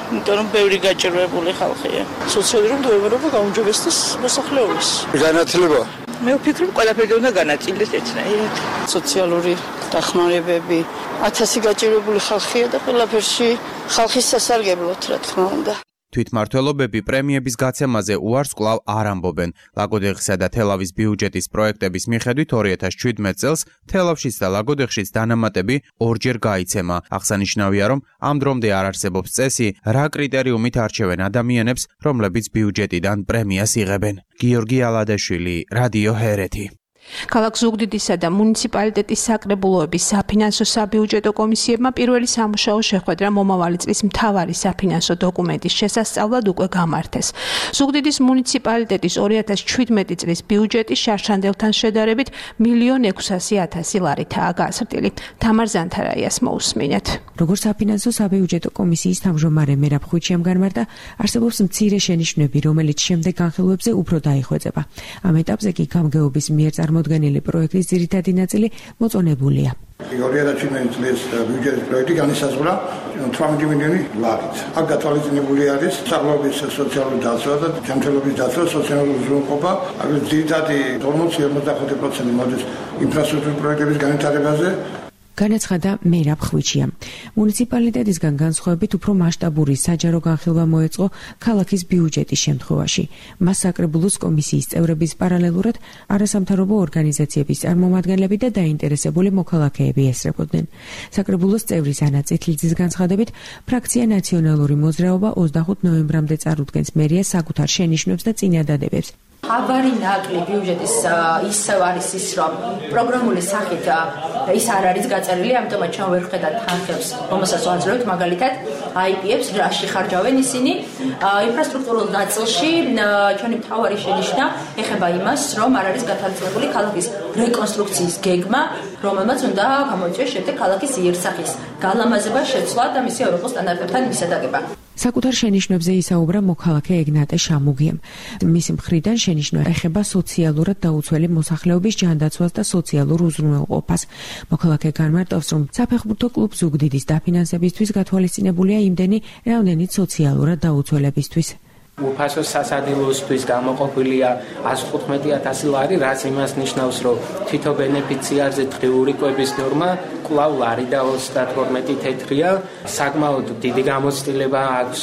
იმიტომ რომ ბევრი გაჭირვებული ხალხია. სოციალური მდგომარეობა გაუმჯობესდეს მოსახლეობის. განათლება. მე ვფიქრობ, ყველაფერი უნდა განაწილდეს ერთნაირად. სოციალური დახმარებები, ათასი გაჭირვებული ხალხია და ყველაფერში ხალხის სასარგებლოდ, რა თქმა უნდა. თვითმმართველობები პრემიების გაცემაზე უარს კვლავ არ ამბობენ. ლაგოდეხისა და თელავის ბიუჯეტის პროექტების მიხედვით ორი ათას შვიდმეტ წელს თელავშიც და ლაგოდეხშიც დანამატები ორჯერ გაიცემა. აღსანიშნავია, რომ ამ დრომდე არ არსებობს წესი, რა კრიტერიუმით არჩევენ ადამიანებს, რომლებიც ბიუჯეტიდან პრემიას იღებენ. გიორგი ალადაშვილი, რადიო ჰერეთი. ქალაქ ზუგდიდისა და მუნიციპალიტეტის საკრებულოების საფინანსო საბიუჯეტო კომისიებმა პირველი სამუშაო შეხვედრა მომავალი წლის მთავარი საფინანსო დოკუმენტის შესასწავლად უკვე გამართეს. ზუგდიდის მუნიციპალიტეტის ორი ათას შვიდმეტი წლის ბიუჯეტი შარშანდელთან შედარებით მილიონ ექვსასი ათასი ლარითაა გაზრდილი. თამარ ზანთარაიას მოусმინეთ. როგორც საფინანსო საბიუჯეტო კომისიის თავმჯდომარე მერაბ ხვიჩიამ განმარტა, არსებობს მცირე შენიშვნები, რომელიც შემდეგ განხილვებზე უფრო დაიხვეწება. ამ ეტაპზე კი გამგეობის მიერ წარმოდგენილი პროექტის ძირითადი ნაწილი მოწონებულია. ორი ათას შვიდმეტი წლის ბიუჯეტის პროექტი განისაზღვრა თვრამეტი მილიონი ლარით. აქ გათვალისწინებული არის საღლობის სოციალური დაცვა და ჯანმრთელობის დაცვა, სოციალური უზრუნველყოფა, აგრეთვე ძირითადი ორმოცი ორმოცდახუთი პროცენტი მოდის ინფრასტრუქტურის პროექტების განვითარებაზე. განაცხადა მერაბ ხვიჩიამ. მუნიციპალიტეტისგან განსხვავებით უფრო მასშტაბური საჯარო განხილვა მოეწყო ქალაქის ბიუჯეტის შემთხვევაში. მას საკრებულოს კომისიის წევრების პარალელურად არასამთავრობო ორგანიზაციების წარმომადგენლები და დაინტერესებული მოქალაქეები ესწრებოდნენ. საკრებულოს წევრის ანა წითლიძის განცხადებით, ფრაქცია ნაციონალური მოძრაობა ოცდახუთ ნოემბრამდე წარუდგენს მერიას საკუთარ შენიშვნებს და წინადადებებს. აბარი ნაკლი ბიუჯეტის ისევ არის ის, რომ პროგრამული სახით ის არ არის გაწერილი, ამიტომაც ჩვენ ვერ ვხედავთ თანხებს, რომელსაც ვაძლევთ, მაგალითად, აი პი-ებს რაში ხარჯავენ ისინი. ინფრასტრუქტურულ ნაწილში ჩვენი მთავარი შენიშვნა ეხება იმას, რომ არ არის გათვალისწინებული ქალაქის რეკონსტრუქციის გეგმა, რომელმაც უნდა გამოიწვიოს შემდეგ ქალაქის იერსახის გალამაზება, შეცვლა და მისი ევროპულ სტანდარტებთან მისადაგება. საკუთარ შენიშვნებზე ისაუბრა მოქალაქე ეგნატე შამუგიამ. მისი მხრიდან შენიშვნა ეხება სოციალურად დაუცველი მოსახლეობის ჯანდაცვას და სოციალურ უზრუნველყოფას. მოქალაქე განმარტავს, რომ საფეხბურთო კლუბ ზუგდიდის დაფინანსებისთვის გათვალისწინებულია იმდენი, რამდენიც სოციალურად დაუცველებისთვის. უფასო სასადილოსთვის გამოყოფილია ას თხუთმეტი ათასი ლარი, რაც იმას ნიშნავს, რომ თითო ბენეფიციარზე დღიური კვების ნორმა კვლავ ლარი და ოცდათორმეტი თეთრია. საკმაოდ დიდი გამოცდილება აქვს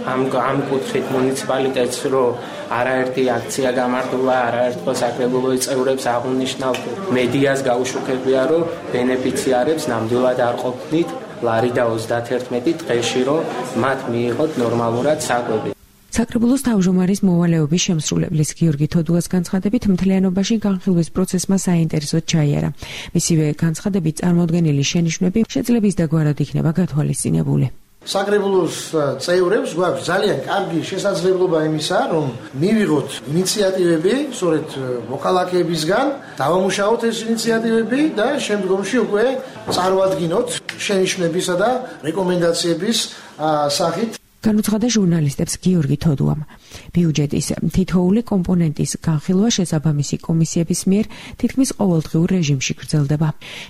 ამ ამ კუთხით მუნიციპალიტეტს, რომ არაერთი აქცია გამართულა, არაერთხელ საკრებულოს წევრებს აღუნიშნავთ მედიას გაუშუქებია, რომ ბენეფიციარებს ნამდვილად არ ყოფნით ლარი და ოცდათერთმეტი დღეში, რომ მათ მიიღოთ ნორმალურად საკვები. საკრებულოს თავმჯდომარის მოვალეობის შემსრულებლის გიორგი თოდუას განცხადებით, მთლიანობაში განხილვის პროცესმა საინტერესოდ ჩაიარა. მისივე განცხადებით, წარმოდგენილი შენიშვნები შეძლების დაგვარად იქნება გათვალისწინებული. საკრებულოს წევრებს გვაქვს ძალიან კარგი შესაძლებლობა იმისა, რომ მივიღოთ ინიციატივები, სწორედ მოქალაქეებისგან, დავამუშაოთ ეს ინიციატივები და შემდგომში უკვე წარვადგინოთ შენიშვნებისა და რეკომენდაციების სახით. განუცხადა ჟურნალისტებს გიორგი თოდუამ. ბიუჯეტის თითოეული კომპონენტის განხილვა შესაბამისი კომისიების მიერ თითქმის ყოველდღიურ რეჟიმში გრძელდება.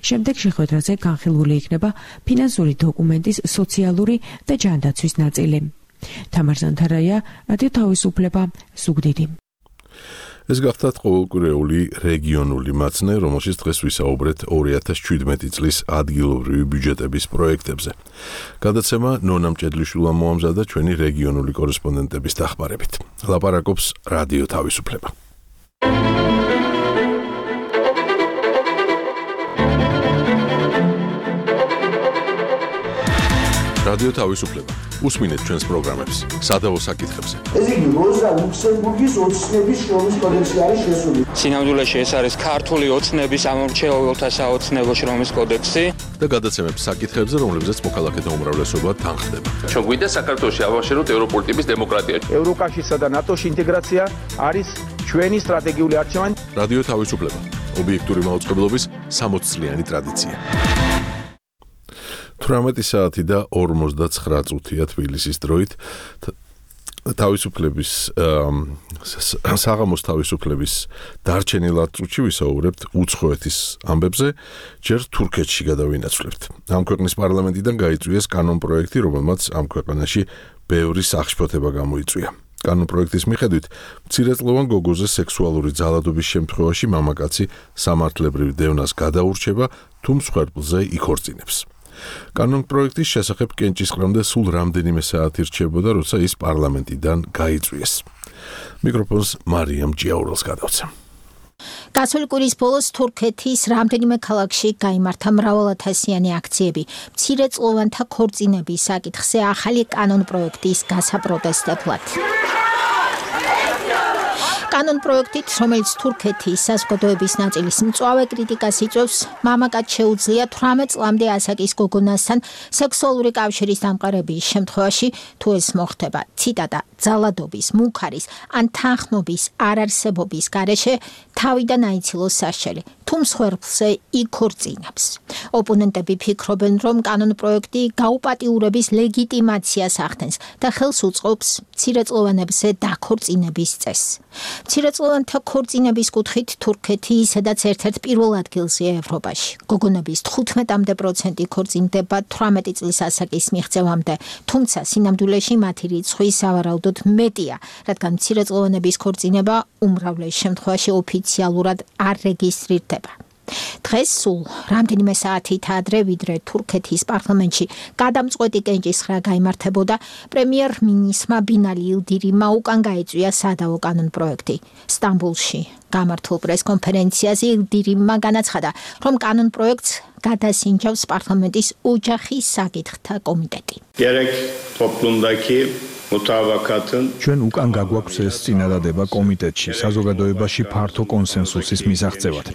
შემდეგ შეხვედრაზე განხილული იქნება ფინანსური დოკუმენტის სოციალური და ჯანდაცვის ნაწილი. თამარ ზანთარაია, რადიო თავისუფლება, ზუგდიდი. ეს გახდათ ყოველკვირეული რეგიონული მაცნე, რომელშიც დღეს ვისაუბრეთ ორი ათას შვიდმეტი წლის ადგილობრივი ბიუჯეტების პროექტებზე. გადაცემა ნონა მჭედლიშვილმა მოამზადა ჩვენი რეგიონული კორესპონდენტების დახმარებით. ლაპარაკობს რადიო თავისუფლება. რადიო თავისუფლება. უსმინეთ ჩვენს პროგრამებს სადავო საკითხებზე. ეს იგი როზა ლუქსემბურგის ოცნების შრომის კოდექსი არის შესული. სინამდვილეში ეს არის ქართული ოცნების ამორჩეულთა საოცნებო შრომის კოდექსი და გადაცემებს საკითხებზე, რომლებზეც მოქალაქეთა უმრავლესობა თანხდება. ჩვენ გვინდა საქართველოში ავაშენოთ ევროპული ტიპის დემოკრატია. ევროკავშირსა და ნატოს ინტეგრაცია არის ჩვენი სტრატეგიული არჩევანი. რადიო თავისუფლება, ობიექტური მაუწყებლობის სამოც წლიანი ტრადიცია. თვრამეტი საათი და ორმოცდაცხრა წუთია თბილისის დროით. თავისუფლების საღამოს თავისუფლების დარჩენილ წუთში ვისაუბრებთ უცხოეთის ამბებზე, ჯერ თურქეთში გადავინაცვლებთ. ამ ქვეყნის პარლამენტიდან გაიწვიეს კანონპროექტი, რომელმაც ამ ქვეყანაში ბევრი სახშფოთება გამოიწვია. კანონპროექტის მიხედვით, მცირეწლოვან გოგოზე სექსუალური ძალადობის შემთხვევაში მამაკაცი სამართლებრივ დევნას გადაურჩება, თუ მსხვერპლზე იქორწინებს. კანონპროექტის შესახებ კენჭისყრამდე სულ რამდენიმე საათი რჩებოდა, როცა ის პარლამენტიდან გაიწვიეს. მიკროფონს მარიამ ჭიაურელს გადავცემ. გასული კვირის ბოლოს თურქეთის რამდენიმე ქალაქში გაიმართა მრავალათასიანი აქციები მცირეწლოვანთა ქორწინების საკითხზე ახალი კანონპროექტის გასაპროტესტებლად. კანონპროექტით, რომელიც თურქეთის საზოგადოების ნაწილის მწვავე კრიტიკას იწვევს, მამაკაც შეუძლია თვრამეტ წლამდე ასაკის გოგონასთან სექსუალური კავშირის დამყარების შემთხვევაში, თუ ეს მოხდება, ციტატა, ძალადობის, მუქარის ან თანხმობის არარსებობის გარეშე, თავიდან აიცილოს სასჯელი, თუ მსხვერპლზე იქორწინებს. ოპონენტები ფიქრობენ, რომ კანონპროექტი გაუპატიურების ლეგიტიმაციას ახდენს და ხელს უწყობს მცირეწლოვანებზე დაქორწინების წესს. მცირეწლოვანთა ქორწინების კუთხით თურქეთი ისედაც ერთ-ერთ პირველ ადგილზეა ევროპაში. გოგონების თხუთმეტ პროცენტი ქორწინდება თვრამეტი წლის ასაკის მიღწევამდე, თუმცა სინამდვილეში მათი რიცხვი სავარაუდოდ მეტია, რადგან მცირეწლოვანების ქორწინება უმრავლეს შემთხვევაში ოფიციალურად არ რეგისტრირდება. დღეს სულ რამდენიმე საათით ადრე, ვიდრე თურქეთის პარლამენტში გადამწყვეტი კენჭისყრა გაიმართებოდა, პრემიერ-მინისტრმა ბინალი ილდირიმმა უკან გაეწვია სადავო კანონპროექტი. სტამბოლში გამართულ პრესკონფერენციაზე ილდირიმმა განაცხადა, რომ კანონპროექტს გადასინჯავს პარლამენტის ოჯახის საკითხთა კომიტეტი. Gerek toplumdaki ჩვენ უკან გაგვაქვს ეს წინადადება კომიტეტში, საზოგადოებაში ფართო კონსენსუსის მისაღწევად.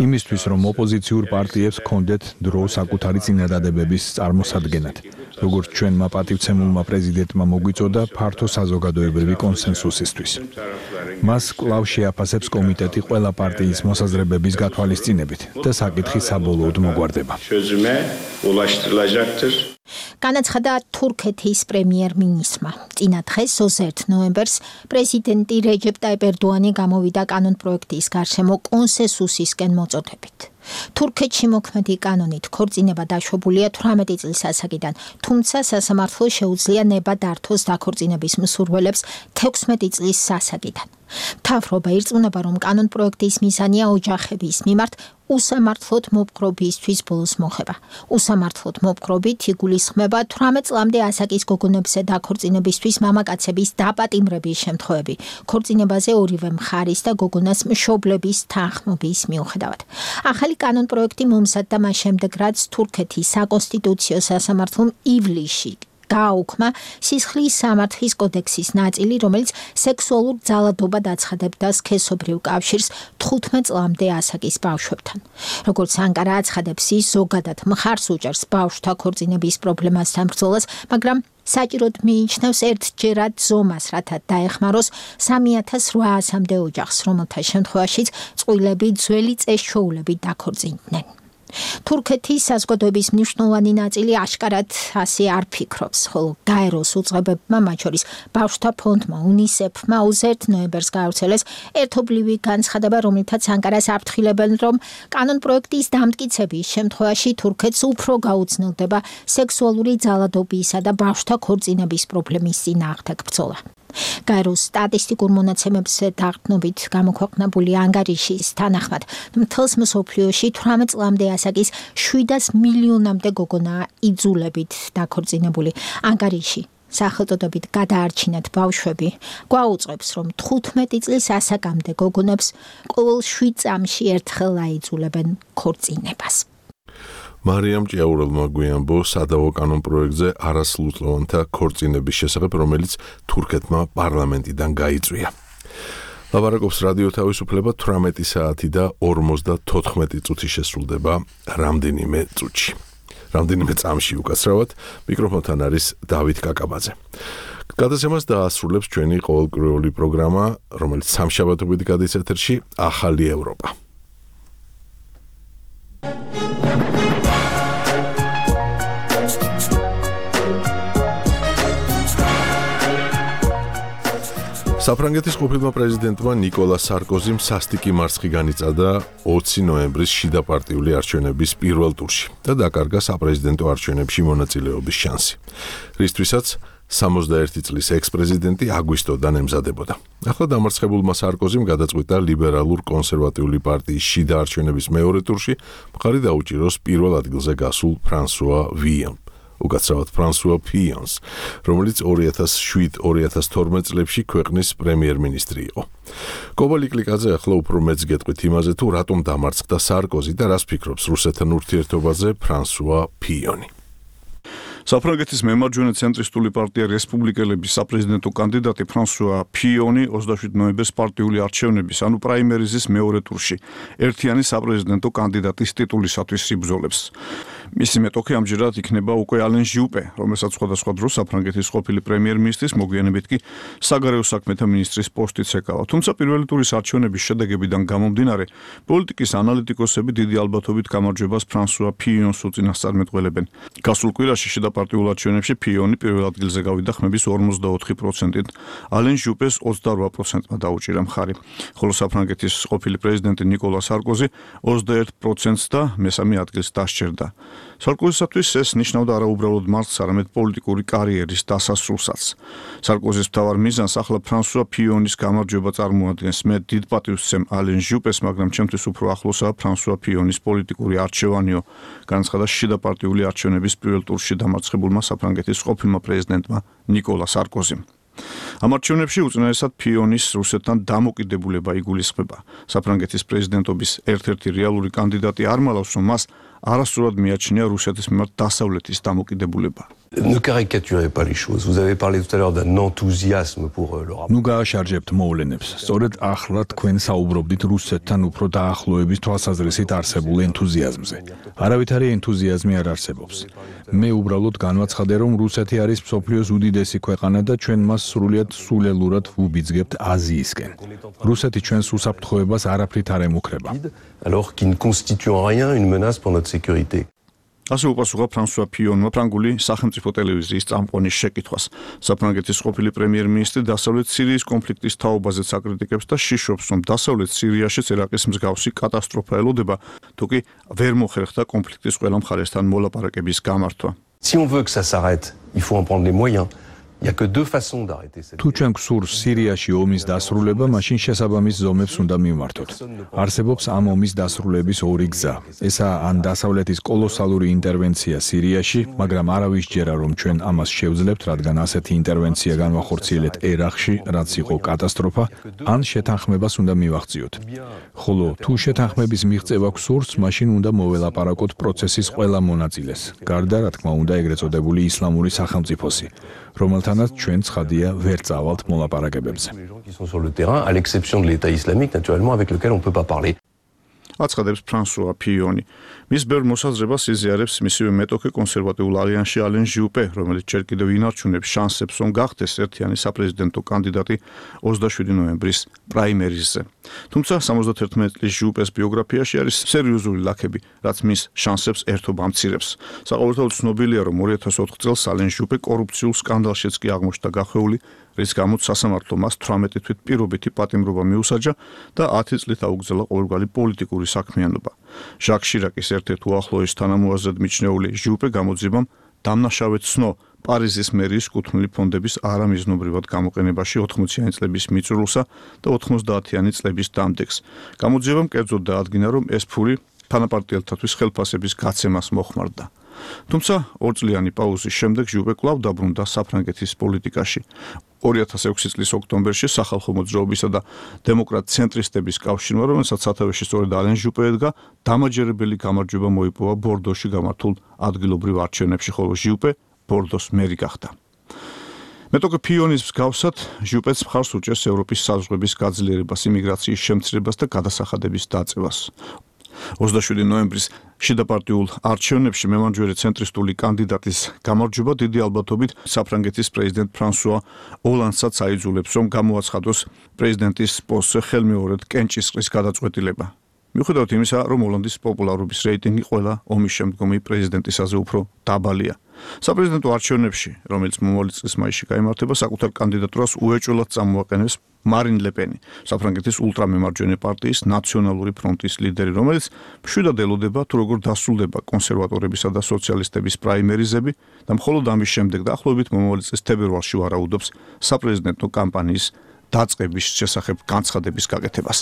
იმისთვის, რომ ოპოზიციურ პარტიებს ჰქონდეთ დრო საკუთარი წინადადებების წარმოსადგენად. როგორც ჩვენმა პატივცემულმა პრეზიდენტმა მოგვიწოდა ფართო საზოგადოებრივი კონსენსუსისთვის. მას კვლავ შეაფასებს კომიტეტი ყველა პარტიის მოსაზრებების გათვალისწინებით და საკითხი საბოლოოდ მოგვარდება. განაცხადა თურქეთის პრემიერ-მინისტრმა. წინა დღეს ოცდაერთი ნოემბერს პრეზიდენტი რეჯეპ ტაიპ ერდოანი გამოვიდა კანონპროექტის გარშემო კონსენსუსისკენ მოწოდებით. თურქეთში მოქმედი კანონით ქორწინება დაშვებულია თვრამეტი წლის ასაკიდან, თუმცა სასამართლო შეუძლია ნება დართოს დაქორწინების მსურველებს თექვსმეტი წლის ასაკიდან. მთავრობა ირწმუნება, რომ კანონპროექტის მიზანია ოჯახების მიმართ უსამართლოდ მოპყრობისთვის ბოლოს მოხება. უსამართლოდ მოპყრობით იგულისხმება თვრამეტ წლამდე ასაკის გოგონებზე დაქორწინებისთვის მამაკაცების დაპატიმრების შემთხვევები, ქორწინებაზე ორივე მხარის და გოგონას მშობლების თანხმობის მიუხედავად. ახალი კანონპროექტი მომზადდა მას შემდეგ, რაც თურქეთის საკონსტიტუციო სასამართლომ ივლისში გააუქმა სისხლის სამართლის კოდექსის ნაწილი, რომელიც სექსუალურ ძალადობად აცხადებდა სქესობრივ კავშირს თხუთმეტ წლამდე ასაკის ბავშვებთან. როგორც ანკარა აცხადებს, ის ზოგადად მხარს უჭერს ბავშვთა ქორწინების პრობლემასთან ბრძოლას, მაგრამ საჭიროდ მიიჩნევს ერთჯერად ზომას, რათა დაეხმაროს სამი ათას რვაასამდე ოჯახს, რომელთა შემთხვევაშიც წყვილები ძველი წესჩვეულებით დაქორწინდნენ. თურქეთის საზოგადოების მნიშვნელოვანი ნაწილი აშკარად ასე არ ფიქრობს, ხოლო გაეროს უწყებებმა, მათ შორის ბავშვთა ფონდმა, უნისეფმა ოცდაერთი ნოემბერს გაავრცელეს ერთობლივი განცხადება, რომლითაც ანკარას აფრთხილებენ, რომ კანონპროექტის დამტკიცების შემთხვევაში თურქეთს უფრო გაუძნელდება სექსუალური ძალადობისა და ბავშვთა ქორწინების პრობლემის წინააღმდეგ ბრძოლა. გაეროს სტატისტიკურ მონაცემებზე დაყრდნობით გამოქვეყნებული ანგარიშის თანახმად, მთელს მსოფლიოში თვრამეტ წლამდე ასაკის შვიდას მილიონამდე გოგონაა იძულებით დაქორწინებული. ანგარიში სახელწოდებით გადაარჩინეთ ბავშვები გვაუწყებს, რომ თხუთმეტი წლის ასაკამდე გოგონებს ყოველ შვიდ წამში ერთხელ აიძულებენ ქორწინებას. მარიამ ჭიაურელმა გვიანბო სადავო კანონ პროექტზე არასრულწლოვანთა ქორწინების შესახებ, რომელიც თურქეთმა პარლამენტიდან გაიწვია. ლაბარაკობს რადიო თავისუფლება თვრამეტი საათი და ორმოცდათოთხმეტი წუთი შესრულდება რამდენიმე წუთში. რამდენიმე წამში უკაცრავად მიკროფონთან არის დავით კაკაბაძე. გადაცემას დაასრულებს ჩვენი ყოველკვირეული პროგრამა, რომელიც სამშაბათობით გადის ეთერში, ახალი ევროპა. საფრანგეთის ყოფილმა პრეზიდენტმა ნიკოლა სარკოზიმ სასტიკი მარცხი განიცადა ოცი ნოემბრის შიდა პარტიული არჩევნების პირველ ტურში და დაკარგა საპრეზიდენტო არჩევნებში მონაწილეობის შანსი, რისთვისაც სამოცდაერთი წლის ექს-პრეზიდენტი აგვისტოდან ემზადებოდა. ახლა დამარცხებულმა სარკოზიმ გადაწყვიტა ლიბერალურ-კონსერვატიული პარტიის შიდა არჩევნების მეორე ტურში მხარი დაუჭიროს პირველ ადგილზე გასულ ფრანსუა ვიონ. უკაცრავად ფრანსუა ფიონს, რომელიც ორი ათას შვიდ ორი ათას თორმეტ წლებში ქვეყნის პრემიერ-მინისტრი იყო. კობალი კლიკაძე ახლა უფრო მეც გეტყვით იმაზე, თუ რატომ დამარცხდა სარკოზი და რას ფიქრობს რუსეთთან ურთიერთობაზე ფრანსუა ფიონი. საფრანგეთის მემარჯვენე ცენტრისტული პარტია რესპუბლიკელების საპრეზიდენტო კანდიდატი ფრანსუა ფიონი ოცდაშვიდ ნოემბერს პარტიული არჩევნების, ანუ პრაიმერიზის მეორე ტურში ერთიანი საპრეზიდენტო კანდიდატის ტიტულისათვის იბრძოლებს. მისი მეტოქი ამჯერად იქნება უკვე ალენ ჟიუპე, რომელსაც სხვადასხვა დროს საფრანგეთის ყოფილი პრემიერ-მინისტრის, მოგვიანებით კი საგარეო საქმეთა მინისტრის პოსტიც ეკავა. თუმცა პირველი ტურის არჩევნების შედეგებიდან გამომდინარე, პოლიტიკის ანალიტიკოსები დიდი ალბათობით გამარჯვებას ფრანსუა ფიონს უწინასწარმეტყველებენ. გასულ კვირაში შიდა პარტიულ არჩევნებში ფიონი პირველ ადგილზე გავიდა ხმების ორმოცდაოთხი პროცენტით, ალენ ჟიუპეს ოცდარვა პროცენტმა დაუჭირა მხარი, ხოლო საფრანგეთის ყოფილი პრეზიდენტი ნიკოლა სარკოზი ოცდაერთ პროცენტს და მესამე ადგილს დასჯერდა. სარკოზისათვის ეს ნიშნავდა არაუბრალოდ მარცხს, არამედ პოლიტიკური კარიერის დასასრულსაც. სარკოზის მთავარ მიზანს ახლა ფრანსუა ფიონის გამარჯვება წარმოადგენს. მე დიდ პატივს ვცემ ალენ ჟიუპეს, მაგრამ ჩემთვის უფრო ახლოსაა ფრანსუა ფიონის პოლიტიკური არჩევანიო, განაცხადა შიდა პარტიული არჩევნების პირველ ტურში დამარცხებულმა საფრანგეთის ყოფილმა პრეზიდენტმა ნიკოლა სარკოზიმ. ამ არჩევნებში უწინარესად ფიონის რუსეთთან დამოკიდებულება იგულისხმება. საფრანგეთის პრეზიდენტობის ერთ-ერთი რეალური კანდიდატი არ მალავს, რომ მას არასწორად მიაჩნია რუსეთის მიმართ დასავლეთის დამოკიდებულება. Ne caricaturez pas les choses. Vous avez parlé tout à l'heure d'un enthousiasme pour le rapport. ნუ გააშარჯებთ მოვლენებს. სწორედ ახლა თქვენ საუბრობდით რუსეთთან უფრო დაახლოების თვალსაზრისით არსებულ ენთუზიაზმზე. არავითარი ენთუზიაზმი არ არსებობს. მე უბრალოდ განვაცხადე, რომ რუსეთი არის მსოფლიოს უდიდესი ქვეყანა და ჩვენ მას სრულიად სულელურად ვუბიძგებთ აზიისკენ. რუსეთი ჩვენს უსაფრთხოებას არაფრით არ ემუქრება. Alors qui ne constitue en rien une menace pour notre sécurité. ასე უპასუხა ფრანსუა ფიონმა ფრანგული სახელმწიფო ტელევიზიის წამყვანის შეკითხვას. საფრანგეთის ყოფილი პრემიერ-მინისტრი დასავლეთ სირიის კონფლიქტის თაობაზეც აკრიტიკებს და შიშობს, რომ დასავლეთ სირიაშიც ერაყის მსგავსი კატასტროფა ელოდება, თუკი ვერ მოხერხდა კონფლიქტის ყველა მხარესთან მოლაპარაკების გამართვა. Si on veut que ça s'arrête, il faut en prendre les moyens. Il y a que deux façons d'arrêter cette. თუ ჩვენ გსურს სირიაში ომის დასრულება, მაშინ შესაბამის ზომებს უნდა მივმართოთ. არსებობს ამ ომის დასრულების ორი გზა. ესაა ან დასავლეთის კოლოსალური ინტერვენცია სირიაში, მაგრამ არავის ჯერა რომ ჩვენ ამას შევძლებთ, რადგან ასეთი ინტერვენცია განვახორციელეთ ერაყში, რაც იყო კატასტროფა, ან შეთანხმებას უნდა მივახციოთ. ხოლო თუ შეთანხმების მიღწევა გსურს, მაშინ უნდა მოველაპარაკოთ პროცესის ყველა მონაწილეს. გარდა რა თქმა უნდა ეგრეთ წოდებული ისლამური სახელმწიფოსი, რომელთანაც ჩვენ ცხადია ვერ წავალთ მოლაპარაკებებზე. Qui sont sur le terrain, à l'exception de l'État islamique, naturellement, avec lequel on ne peut pas parler. აცხადებს ფრანსუა ფიონი. მის ბევრ მოსაზრებას იზიარებს მისივე მეტოქე კონსერვატიულ ალიანსში ალენ ჟიუპე, რომელიც ჯერ კიდევ ინარჩუნებს შანსებს, რომ გახდეს ერთიანი საპრეზიდენტო კანდიდატი ოცდაშვიდი ნოემბრის პრაიმერიზზე. თუმცა სამოცდაათერთმეტ წლის ჟიუპეს ბიოგრაფიაში არის სერიოზული ლაქები, რაც მის შანსებს ერთობა ამცირებს. საყოველთაოდ ცნობილია, რომ ორი ათას ოთხ წელს ალენ ჟიუპე კორუფციულ სკანდალშიც კი აღმოჩნდა გახვეული, რის გამოც სასამართლომ მას თვრამეტი თვით პირობითი პატიმრობა მიუსაჯა და ათი წლით აუგზავნა ყოველგვარი პოლიტიკური საქმიანობა. ჟაკ შირაკის ერთ-ერთ უახლოეს თანამოაზრედ მიჩნეული ჟიუპე გამოძიებამ დამნაშავე ცნო პარიზის მერიის კუთვნილი ფონდების არამიზნობრივად გამოყენებაში ოთხმოციანი წლების მიწურულსა და ოთხმოცდაათიანი წლების დამდეგს. გამოძიებამ კერძოდ დაადგინა, რომ ეს ფული თანაპარტიელთათვის ხელფასების გაცემას მოხმარდა. თუმცა ორწლიანი პაუზის შემდეგ ჟიუპე კვლავ დაბრუნდა საფრანგეთის პოლიტიკაში. ორი ათას ექვსი წლის ოქტომბერში სახალხო მოძრაობისა და დემოკრატ ცენტრისტების კავშირმა, რომელსაც სათავეში სწორედ ალენ ჟუპე ედგა, დამაჯერებელი გამარჯვება მოიპოვა ბორდოში გამართულ ადგილობრივ არჩევნებში, ხოლო ჟუპე ბორდოს მერი გახდა. მეტოქე ფიონის მსგავსად ჟუპეც მხარს უჭერს ევროპის საზღვრების გაძლიერებას, იმიგრაციის შემცირებას და გადასახადების დაწევას. ოცდაშვიდი ნოემბრის შიდაპარტიულ არჩევნებში მემარჯვენე ცენტრისტული კანდიდატის გამარჯვება დიდი ალბათობით საფრანგეთის პრეზიდენტ ფრანსუა ოლანდსაც აიძულებს, რომ გამოაცხადოს პრეზიდენტის პოსტზე ხელმეორედ კენჭისყრის გადაწყვეტილება. მიუხედავად იმისა, რომ ოლანდის პოპულარობის რეიტინგი ყველა ომის შემდგომი პრეზიდენტისაზე უფრო დაბალია. საპრეზიდენტო არჩევნებში, რომელიც მომავალი წლის მაისში გაიმართება, საკუთარ კანდიდატურას უეჭველად წამოაყენებს მარინ ლეპენი, საფრანგეთის ულტრამემარჯვენე პარტიის ნაციონალური ფრონტის ლიდერი, რომელიც მშვიდად ელოდება, თუ როგორ დასრულდება კონსერვატორებისა და სოციალისტების პრაიმერიზები და მხოლოდ ამის შემდეგ დაახლოებით მომავალი წლის თებერვალში ვარაუდობს საპრეზიდენტო კამპანიის დაწყების შესახებ განცხადების გაკეთებას.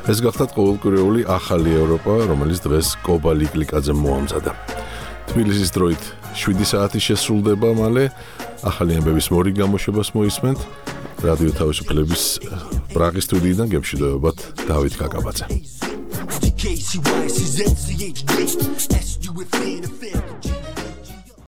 ეს გახდა ყოველკვირეული ახალი ევროპა, რომელიც დღეს კობა ლიკლიკაძემ მოამზადა. თბილისის დროით შვიდი საათი შესრულდება მალე, ახალი ამბების მორი გამოშვებას მოისმენთ. რადიო თავისუფლების პრაღის სტუდიიდან გემშვიდობებათ დავით კაკაბაძე.